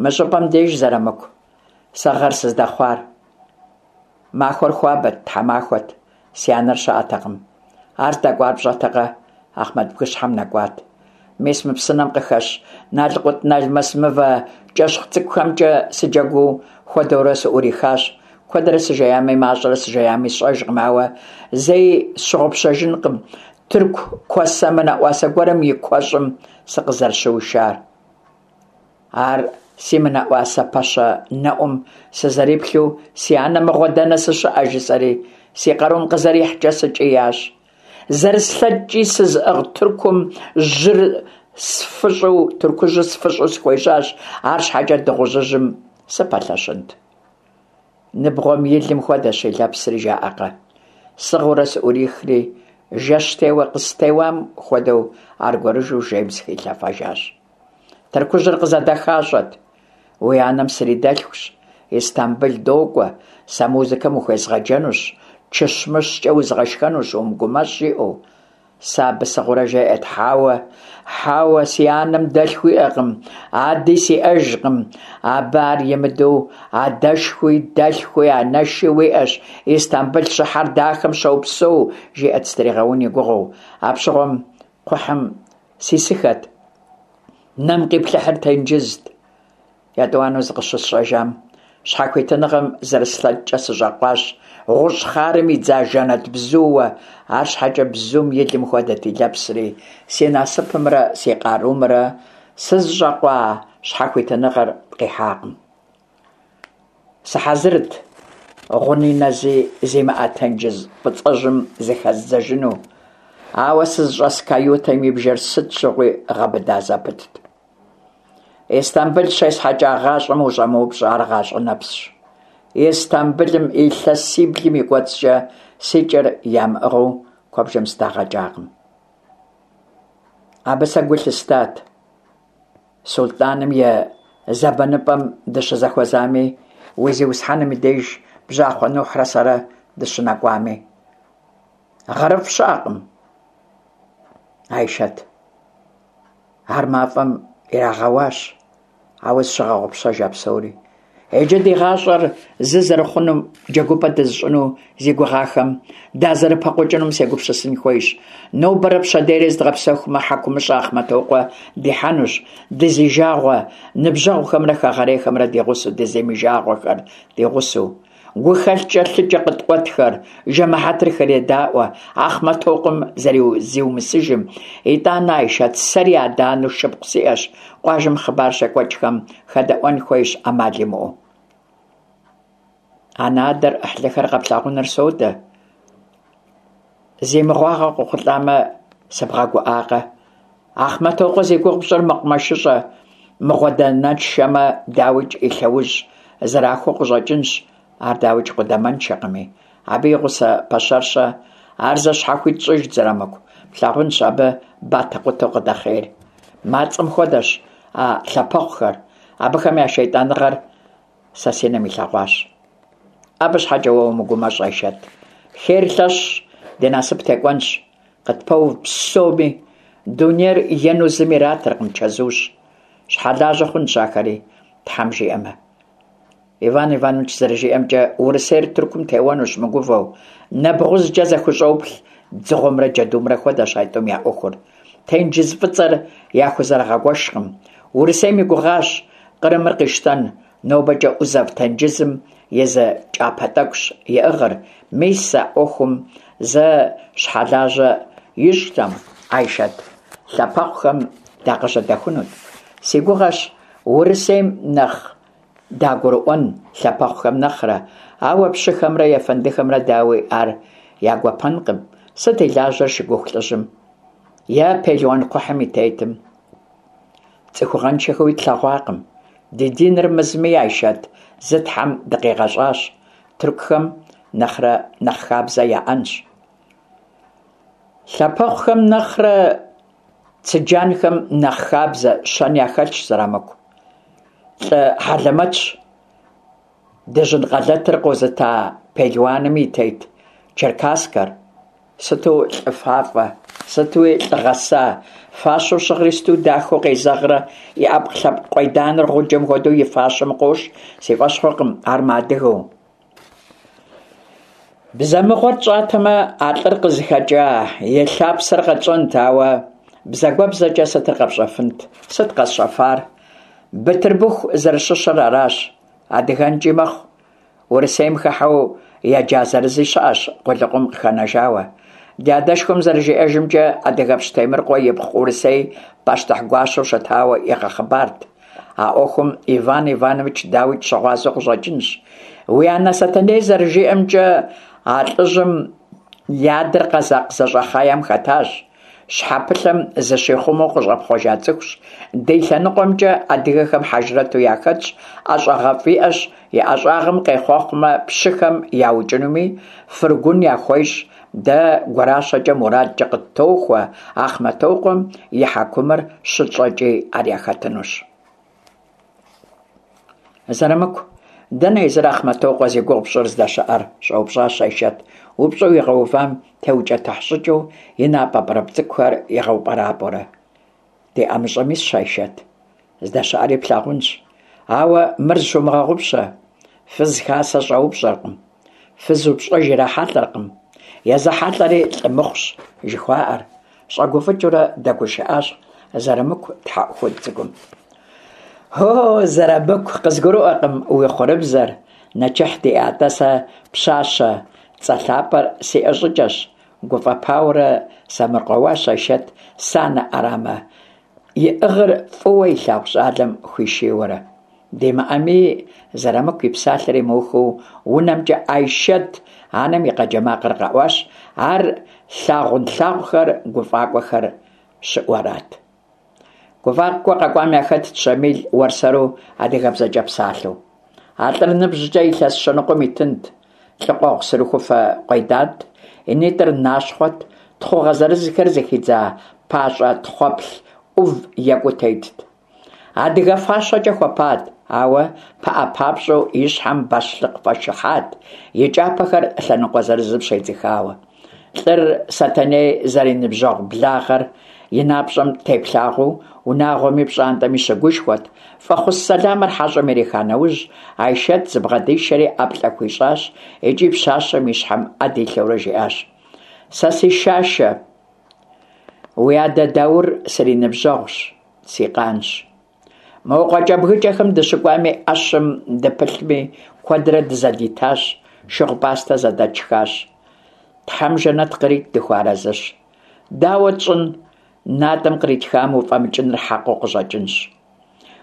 Мы щӏыпӏэм деж, Зэрамыку, сэ гъэр сыздэхъуар. Махуэр хуабэт, тхьэмахуэт, си анэр щыӏэтэкъым. Ар здэкӏуар пщӏэтэкъэ? Ахъмэт бгыщхьэм нэкӏуат. Мис мы псынэм къыхэщ налкъут-налмэс мывэ кӏэщхъ цӏыкӏухэмкӏэ сыджэгуу хуэдэурэ сыӏурихащ. Куэдрэ сыжеями, мащӏэрэ сыжеями сщӏэжкъым, ауэ зэи сщыгъупщэжынкъым тырку куэсэ мынэӏуасэ гуэрым и куэщӏым сыкъызэрыщыушар. Ар си мынэӏуасэ пэщэ нэӏум сызэриплъу, си анэ мыгъуэ дэнэ сыщыӏэ жысӏэри, си къарум къызэрихькӏэ сыкӏиящ. Зэрыслъэкӏкӏи сызыӏыгъ тыркум жьыр сфыщӏу, тыркужьыр сфыщӏу схуежьащ, арщхьэкӏэ дыгъужьыжьым сыпэлъэщынт. Ныбгъуэм и лым хуэдэщ и лэпсри, жаӏэкъэ. Сыгъыурэ сыӏурихри, жэщтеуэ къыстеуам хуэдэу аргуэрыжу жейм сыхилъэфэжащ. Тыркужьыр къызэдэхащӏэт. Уи анэм сридэлъхущ, Истамбыл докӏуэ, сэ музыкэм ухуезгъэджэнущ, чыщмыщкӏэ узгъэшхэнущ, умыгумэщӏ, жиӏэу. Сэ абы сыгъыурэ жеӏэт: хьэуэ, хьэуэ, си анэм дэлъху иӏэкъым, ади сиӏэжкъым. Абы ар имыдэу адэшхуи, дэлъхуи, анэши уиӏэщ, Истамбыл щыхьэр дахэм щопсэу, жиӏэт сытригъэун и гугъэу. Апщыгъуэм кхъухьым сисыхэт, нэм къиплъыхьыр тенджызт. Етӏуанэу зыкъыщысщӏэжам, щхьэхуитыныгъэм зэрыслъэкӏкӏэ сыщӏэкъуащ, гъущӏ хъарым идза жэнэт бзууэ, арщхьэкӏэ бзум и лым хуэдэт и лэпсри, си насыпымрэ си къарумрэ сызыщӏэкъуа щхьэхуитыныгъэр къихьакъым. Сыхьэзырт гъуни нэзи зимыӏэ тенджыз фӏыцӏэжьым зыхэздзэжыну, ауэ сызыщӏэс каютэм и бжэр сыт щыгъуи гъэбыда зэпытт. Истамбыл щесхьэкӏа гъащӏэм ущӏэмыупщӏэ, ар гъащӏэ нэпсщ. Истамбылым илъэсиблым и кӏуэцӏкӏэ си кӏэр ямыӏыгъыу куэбжэм сыдагъэкӏакъым. Абы сэ гу лъыстат. Сулътӏаным и зэбэныпӏэм дыщызэхуэзами, уи зиусхьэным и деж бжьахъуэ Нухьрэ сэрэ дыщынэкӏуами. Гъэрыфӏ щыӏэкъым, Айшэт. Ар мафӏэм ирагъэуащ, ауэ зыщыгъэгъупщэж а псори. Иджы ди гъащӏэр зы зэрыхъунум, джэгупӏэ дызыщӏыну зи гугъахэм дазэрыпэкъукӏынум сегупсысын хуейщ. Нобэрэ пщэдейрэ зыдгъэпсэхумэ, хьэкумыщӏэ Ахъмэтокъуэ дихьэнущ, дызижагъуэ ныбжьэгъухэмрэ хэгъэрейхэмрэ ди гъусэу, дызимыжагъуэхэр ди гъусэу. Гухэлъкӏэ лъыкӏэ къыткъуэтхэр, жэмыхьэтыр хредаӏуэ Ахъмэтокъуэм зэрызиумысыжым. Итӏанэ, Айшэт, сэри адэ-анэу шыпхъу сиӏэщ, къуажэм хъыбар щекӏуэкӏхэм хэдэӏуэн хуейщ ӏэмал имыӏэу. Анэ-адэр, ӏыхьлыхэр къэплъагъуныр содэ. Зи мыгъуагъэ къохъулӏамэ, сыбгъэгуӏакъэ? Ахъмэтокъуэ зи гугъу пщӏыр мэкъумэшыщӏэ мыгъуэдэнэншэмэ, дауикӏ, и лъэужь зэрахуэу къыщӏэкӏынщ, ар дауикӏ къудамэншэкъыми. Абы и гъусэ пэщэр-щэ? Ар зэ щхьэхуит щӏыжт, Зэрамыку, плъагъунщ абы батэкъутэу къыдэхъейр. Мацӏэм хуэдэщ а лъапэхъухэр, абыхэм я шейтӏаныгъэр сэ си нэм илъэгъуащ. Абы щхьэкӏэ уэ умыгумэщӏ, Айшэт. Хейр лъэщщ, ди насып текӏуэнщ. Къытпэув псоми. Дунейр ену зыми иратыркъым, чэзущ. Щхьэлажьэ хъунщ ахэри, Тхьэм жиӏэмэ. Иван Иванович зэрыжиӏэмкӏэ, Урысейр Тыркум теуэнущ мыгувэу. Нэбгъузкӏэ зэхущӏоплъ, дзыгъуэмрэ джэдумрэ хуэдэщ айтӏум я ӏуэхур. Тенджыз фӏыцӏэр яхузэрыгъэгуэшкъым. Урысейм и гугъащ Кърымыр къищтэн, нобэкӏэ ӏузэв тенджызым и зы кӀапэ тӀэкӀущ иӀыгъыр. Мис а Ӏуэхум зэ щхьэлажьэ ищӀтэм, Айшэт, лъапэхъухэм дакъыжьэдэхунут. Си гугъэщ Урысейм нэхъ дагурыӀуэн лъапэхъухэм нэхърэ, ауэ пщыхэмрэ ефэндыхэмрэ, дауи, ар я гуапэнкъым. Сыт и лажьэр шыгуху лӀыжьым е пелуан кхъухьым и тетым? ЦӀыхугъэншэхэуи тлъэгъуакъым. Ди диныр мызми, Айшэт, зы Тхьэм дыкъигъэщӀащ, тыркухэм нэхърэ нэхъ хабзэ яӀэнщ. Лъапэхъухэм нэхърэ цыджанхэм нэхъ хабзэ, щэн яхэлъщ, Зэрамыку. ЛӀы хьэлэмэтщ дыжьын къэлэтыр къозыта пелуаным и тет Черкасскэр. Сыту лӀы фафӀэ, сытуи лӀы гъэса, фащэу щыгъри сыту дахэу къезэгърэ, и Ӏэпкълъэпкъ къуейданэр гъуджэм хуэдэу и фащэм къощ, си фӀэщ хъуркъым ар мыадыгэу. Бзэ мыгъуэр тщӀатэмэ, а лӀыр къызыхэкӀа и лъапсэр къэтщӀэнт, ауэ бзагуэбзэкӀэ сытыр къэпщӀэфынт? Сыт къэсщӀэфар? Бытырбыху зэрыщыщыр аращ. АдыгэнкӀи мэхъу. Урысейм хыхьэу еджа зырызи щыӀэщ къулыкъум къыхэнэжауэ. Ди адэшхуэм зэрыжиӀэжымкӀэ, адыгэпщ Темрыкъуэ ипхъу Урысей пащтыхь гуащэу щытауэ игъэхъыбарт. А Ӏуэхум Иван Иванович, дауикӀ, щыгъуазэу къыщӀэкӀынщ. Уи анэ Сэтэней зэрыжиӀэмкӀэ, а лӀыжьым и адэр къэзакъ зэщӀэхъеем хэтащ. Щхьэпылъэм зыщихъумэу къыщӀэпхъуэжа цӀыхущ. Ди лъэныкъуэмкӀэ адыгэхэм хьэжрэту яхэтщ, ӀэщӀагъэфӀ иӀэщ, и ӀэщӀагъэм къехъуэхъумэ, пщыхэм яукӀынуми, фыргун яхуещӀ. Дэ гуращэкӀэ мурадкӀэ къыттохуэ, Ахъмэтокъуэм и хьэкумыр щытщӀэкӀи ар яхэтынущ. Зэрамыку, дэнэ езыр Ахъмэтокъуэ зи гугъу пщӀыр здэщыӀэр? щӀэупщӀащ Айшэт, упщӀэу игъэувам теукӀытыхь щӀыкӀэу и напӀэ пӀырыпӀ цӀыкӀухэр игъэупӀэрапӀэурэ. Ди ӀэмыщӀэм исщ, Айшэт, здэщыӀэри плъагъунщ. Ауэ мыр зыщумыгъэгъупщэ: фыз хасэ щӀэупщӀэркъым, фыз упщӀэж ирахьэлӀэркъым, езыхьэлӀэри лӀы мыхъущ жыхуаӀэр, щӀэгуфӀыкӀыурэ дэгушыӀащ Зэрамыку тхьэӀухуд цӀыкӀум. О, Зэрамыку, къызгурыӀуэркъым уи хъурыбзэр. Нэчыхь диӀэ атӀэ, сэ пщащэ цӀэ лъапӀэр сиӀэ щӀыкӀэщ, гуфӀэпаурэ сэмэркъэуащ Айшэт, санэ Ӏэрамэ иӀыгъыр фӀыуэ илъагъу щӀалэм хуишийуэрэ. ДимыӀэми, Зэрамыку и псалъэр имыухыу унэмкӀэ Айшэт анэм и къэджэ макъыр къэӀуащ, ар лъагъунлъагъухэр, гуфӀакӀуэхэр щыӀуарат. ГуфӀакӀуэ къэкӀуам яхэтт Щамил уэрсэру адыгэбзэкӀэ псалъэу. А лӀыр ныбжькӀэ илъэс щэныкъуэм итынт. ЛӀы къуэгъу сырыхуфэ къуейдант, и нитӀыр нащхъуэт, тхъугъэ зырызхэр зыхидза пащӀэ тхъуэплъ Ӏув екӀуу тетт. Адыгэ фащэкӀэ хуэпат, ауэ пыӀэ папщӀэу и щхьэм бащлъыкъ фӀэшыхьат, и кӀапэхэр лъэныкъуэ зырызым щедзыхауэ. ЛӀыр Сэтэней зэриныбжьэгъу благъэр и напщӀэм теплъагъуэу унагъуэми пщӀантӀэми щыгушхуэт. ФӀэхъус сэламыр хьэщӀэм ириха нэужь, Айшэт зыбгъэдишэри ӀэплӀэ хуищӀащ икӀи пщащэм и щхьэм Ӏэ дилъэурэ жиӀащ: «Сэ си Шашэ, уи адэ Даур сриныбжьэгъущ, си къанщ. Мо къуакӀэбгыкӀэхэм дыщыкӀуами, Ӏэщым дыпылъми, куэдрэ дызэдитащ, шыгъу-пӀастэ зэдэтшхащ. Тхьэм жэнэт кърит, дыхуэарэзыщ. Дауэ тщӀын, натӀэм къритхам уфӀэмыкӀыныр хьэкъыу къыщӀэкӀынщ.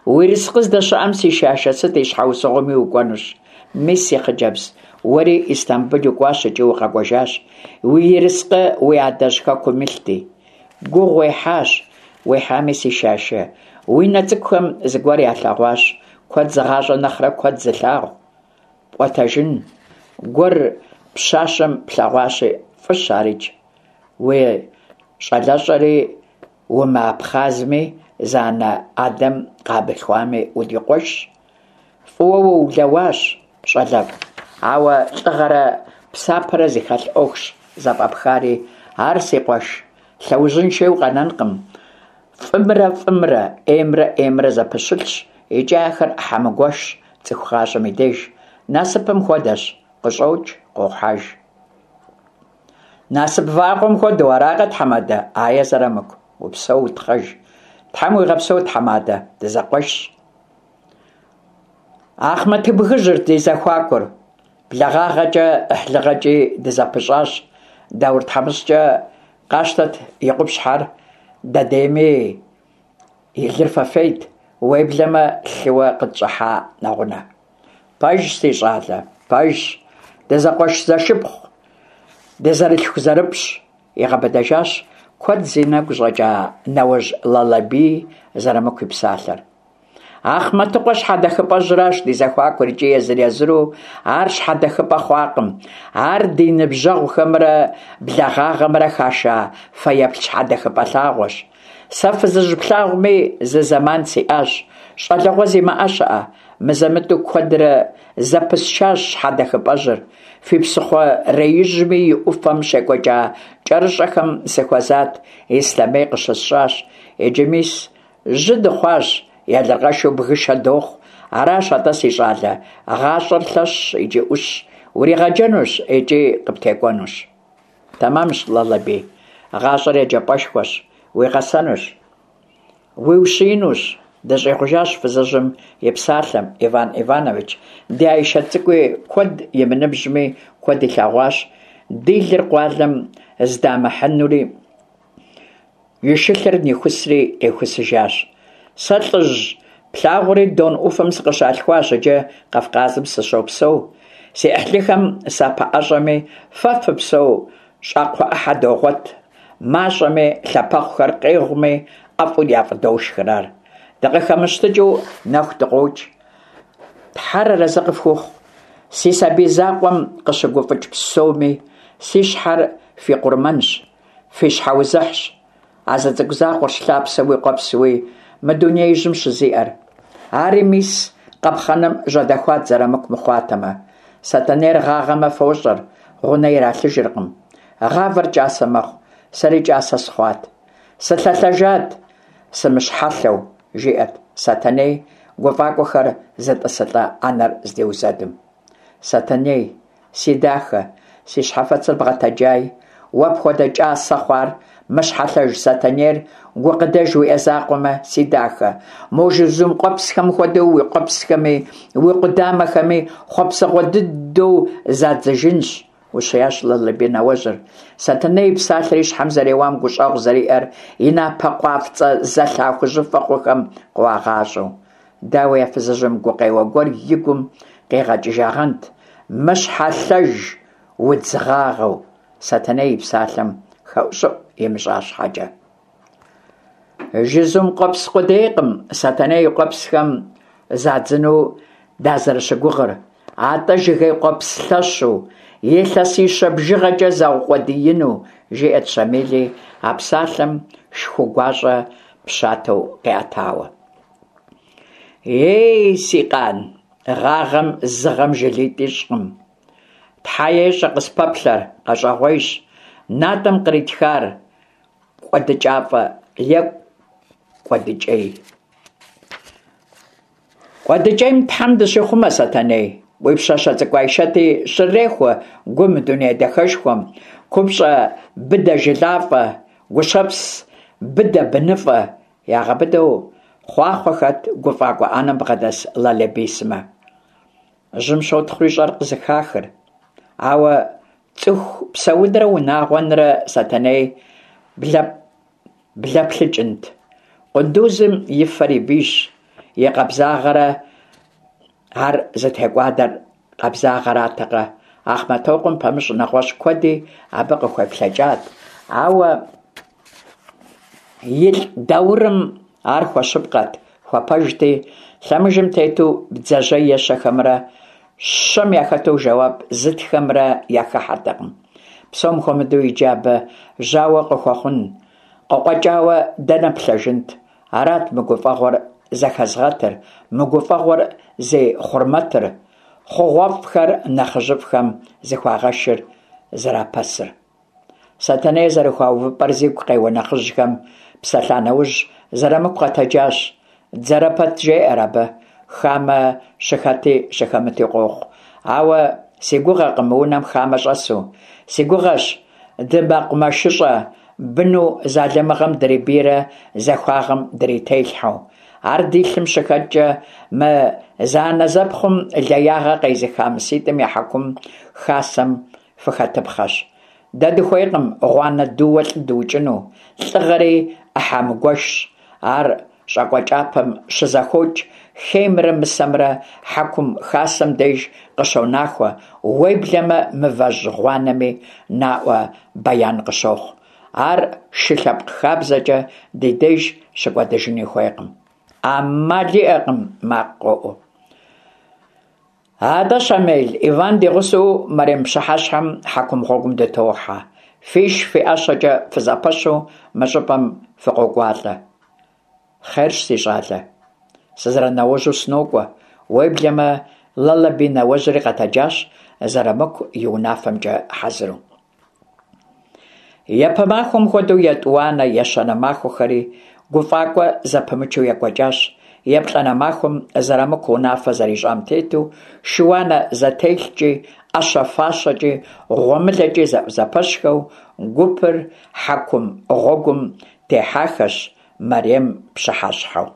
Уи ерыскъы здэщыӀэм, си Шашэ, сыт и щхьэусыгъуэми укӀуэнущ. Мис, си хъыджэбз, уэри Истамбыл укӀуащ икӀи укъэкӀуэжащ. Уи ерыскъы уи адэжь хэкум илъти. Гугъу уехьащ, уехьами, си Шашэ, уи нэ цӀыкӀухэм зыгуэр ялъэгъуащ, куэд зыгъащӀэ нэхърэ куэд зылъагъу. ПӀуэтэжын гуэр пщащэм плъэгъуащи, фӀыщ арикӀ. Уи щӀалэщӀэри умыабхъазми, зы анэ-адэм къамылъхуами, удикъуэшщ. ФӀыуэ уулэуащ, щӀалэфӀ, ауэ лӀыгъэрэ псапэрэ зыхэлъ Ӏуэхущ зэфӀэпхари, ар, си къуэш, лъэужьыншэуи къэнэнкъым. ФӀымрэ фӀымрэ, Ӏеймрэ Ӏеймрэ зэпэщылъщ икӀи ахэр Ӏыхьэ мыгуэшщ цӀыху гъащӀэм и деж. Насыпым хуэдэщ – къыщӀокӀ, къуохьэж. Насып вагъуэм хуэдэу, аракъэ, тхьэмадэ? Ае, Зэрамыку, упсэу, утхъэж. Тхьэм уигъэпсэу, тхьэмадэ, дызэкъуэшщ. Ахъмэтыбгыжьырт ди зэхуакур. БлагъагъэкӀи ӀыхьлыгъэкӀи дызэпыщӀащ. Даур тхьэмыщкӀэ къащтэт и къупщхьэр, дэдейми и лыр фэфейт, уеблэмэ лъыуэ къытщӀыхьа нэгъунэ. Пэжщ, си щӀалэ, пэжщ, дызэкъуэш-зэшыпхъу, дызэрылъхузэрыпщӀ, игъэбыдэжащ куэд зи нэгу щӀэкӀа нэуэжь Лалэбии Зырамыку и псалъэр. Ахъмэтыкъуэ щхьэдэхыпӀэжьыращ ди зэхуакур икӀи езыр-езыру ар щхьэдэхыпӀэ хъуакъым. Ар ди ныбжьэгъугъэмрэ благъагъэмрэ хаша фэеплъ щхьэдэхыпӀэ лъагъуэщ. Сэ фызыжь плъагъуми, зы зэман сиӀащ, щӀалэгъуэ зимыӀэ щыӀэ, мызэ-мытӀэу куэдрэ зэпысчащ щхьэдэхыпӀэжьыр, фи псыхъуреижьми и Ӏуфэм щекӀуэкӀа кӀэрыщӀэхэм сыхуэзат, ислъэмей къыщысщӀащ. Иджы мис, жьы дыхъуащ, елыркъэшу бгышэ дохъу. Аращ атӀэ, си щӀалэ, гъащӀэр лъэщщ икӀи Ӏущщ, уригъэджэнущ икӀи къыптекӀуэнущ. Тэмэмщ, Лалэбий, гъащӀэр еджапӀэшхуэщ, уигъэсэнущ, уиущиинущ, дыщӀигъужащ фызыжьым и псалъэм Иван Иванович. Ди Айшэт цӀыкӀуи куэд имыныбжьми, куэд илъэгъуащ, ди лыр къуалэм здамыхьынури и шылъэр нихусри къихусыжащ. Сэ лӀыжь плъагъури Дон Ӏуфэм сыкъыщалъхуащ, иджы Кавказым сыщопсэу. Си Ӏыхьлыхэм сапэӀэщӀэми, фэ фыпсэу щӀакхъуэ Ӏыхьэ догъуэт, мащӀэми, лъапэхъухэр къегъуми, ӀэфӀу яфӀыдошхыр ар. ДыкъыхэмыщтыкӀыу нэху дыкъокӀ. Тхьэр арэзы къыфхухъу, си сабий закъуэм къыщыгуфӀыкӀ псоми, си щхьэр фи къурмэнщ, фи щхьэузыхьщ. А зы цӀыкӀу закъуэрщ лъапсэуи къуэпсуи мы дунеижьым щызиӀэр. Ари мис, къапхъэным жьэдэхуат Зырамыку мыхъуатэмэ. Сэтэнейр гъагъэмэ фощӀэр, гъунэ иралъыжыркъым. Гъавэр кӀасэ мэхъу, сэри кӀасэ сыхъуат. Сылъэлъэжат, сымыщхьэлъэу, жиӀэрт Сэтэней, гуфӀакӀуэхэр зэтӀысылӀа Ӏэнэр здиузэдым. Сэтэней, си дахэ, си щхьэфэцыр бгъэтэджай, уэ пхуэдэ кӀасэ хъуар, мыщхьэлъэж Сэтэнейр гукъыдэж уиӀэ закъуэмэ, си дахэ, мо жызум къуэпсхэм хуэдэу уи къуэпсхэми, уи къудамэхэми хъуэпсэгъуэ дыдэу задзыжынщ, ущиящ Лалэбий нэуэжьыр. Сэтэней и псалъэр и щхьэм зэреуам гущӀэгъу зэриӀэр и напэ къуафцӀэ зэлъа хужьыфэ хъухэм къыуагъащӀэу. Дауи, а фызыжьым гукъеуэ гуэр и гум къигъэкӀыжагъэнт, мыщхьэлъэж удз гъагъэу, Сэтэней и псалъэм хэӀущӀыӀу имыщӀа щхьэкӀэ. Жызум къуэпс къудейкъым Сэтэней и къуэпсхэм задзыну дазэрыщыгугъыр, атӀэ жыгей къуэпс лъэщу, илъэсищэ бжыгъэкӀэ заукъуэдиину, жиӀэрт Щамили, а псалъэм шху гуащӀэ пщатэу къиӀэтауэ. Ей, си къан, гъагъэм зы гъэм жылитӀ ищӀкъым. Тхьэ ещӀэ къыспэплъэр, къэщӀэгъуейщ. НатӀэм къритхар кӀуэдыкӀафӀэ е кӀуэдыкӀей. КӀуэдыкӀейм Тхьэм дыщихъумэ, Сэтэней. Уи пщащэ цӀыкӀу Айшэти щрырехуэ гу мы дуней дахэшхуэм, купщӀэ быдэ жылафӀэ, гущэпс быдэ быныфӀэ, ягъэбыдэу хъуахъуэхэт гуфӀакӀуэ Ӏэнэм бгъэдэс Лалэбий сымэ. Жьым щотхъури щӀэр къызыхахыр. Ауэ цӀыху псэунрэ унагъуэнрэ Сэтэней блэплъыкӀынт. Къундузым и фэр и бийщ, и къабзагъэрэ ар зытекӀуадэр къабзагъэратэкъэ. Ахъмэтокъуэм пэмыщӀ нэгъуэщӀ куэди абы къыхуеплъэкӀат, ауэ илӀ Даурым ар хуэщыпкъэт, хуэпэжти, лъэмыжым тету бдзэжьей ещэхэмрэ щэм яхэту жэуап зытхэмрэ яхыхьэртэкъым. Псом хуэмыдэу иджы абы жьауэ къыхуэхъун къыкъуэкӀауэ дэнэ плъэжынт? Арат мы гуфӀэгъуэр зэхэзгъэтыр, мы гуфӀэгъуэр зи хъурмэтыр, хъугъуэфӀхэр нэхъыжьыфӀхэм зыхуагъэшыр зэрапэсыр. Сэтэней зэрыхуа увыпӀэр зигу къеуэ нэхъыжьхэм псэлъа нэужь, Зырамыку къэтэджащ. Дзэрэ пэт жеӀэр абы, хамэ щыхэти щыхэмыти къохъу. Ауэ си гугъэкъым мы унэм хамэ щӀэсу. Си гугъэщ дымэкъумэшыщӀэ быну залымыгъэм дрибийрэ захуагъэм дрителъхьэу. Ар ди лъым щыхэткӀэ, мы зэанэзэпхъум леягъэ къезыха мыситӀым я хьэкум хасэм фыхэтыпхъэщ. Дэ дыхуейкъым гъуанэ дууэ лӀы дыукӀыну. ЛӀыгъэри Ӏыхьэ мыгуэшщ. Ар щӀакӀуэ кӀапэм щызэхокӀ, хеймрэ мысэмрэ хьэкум хасэм деж къыщонахуэ, уеблэмэ мывэжь гъуанэми наӀуэ бэян къыщохъу. Ар шы лъэпкъ хабзэкӀэ ди деж щыкӀуэдыжыни хуейкъым. Ӏэмал иӀэкъым! – макъ къоӀу. АтӀэ, Щамел, Иван ди гъусэу мэрем пщыхьэщхьэм хьэкум гъуэгум дытохьэ. Фиш, фи ӀэщэкӀэ фызэпэщу мы щӀыпӀэм фыкъокӀуалӀэ. Хъерщ, си щӀалэ. Сызэрынауэжьу сынокӀуэ. Уеблэмэ Лалэби нэуэжьри къэтэджащ, Зырамыку и унафэмкӀэ хьэзыру. Япэ махуэм хуэдэу, етӀуанэ, ещанэ махуэхэри гуфӀакӀуэ зэпымычу екӀуэкӀащ. ЕплӀанэ махуэм, Зырамыку унафэ зэрищӀам тету, шы-уанэ зэтелъкӀи, Ӏэщэ-фащэкӀи, гъуэмылэкӀи зэӀузэпэщхэу гупыр хьэкум гъуэгум техьахэщ мэрем пщыхьэщхьэу.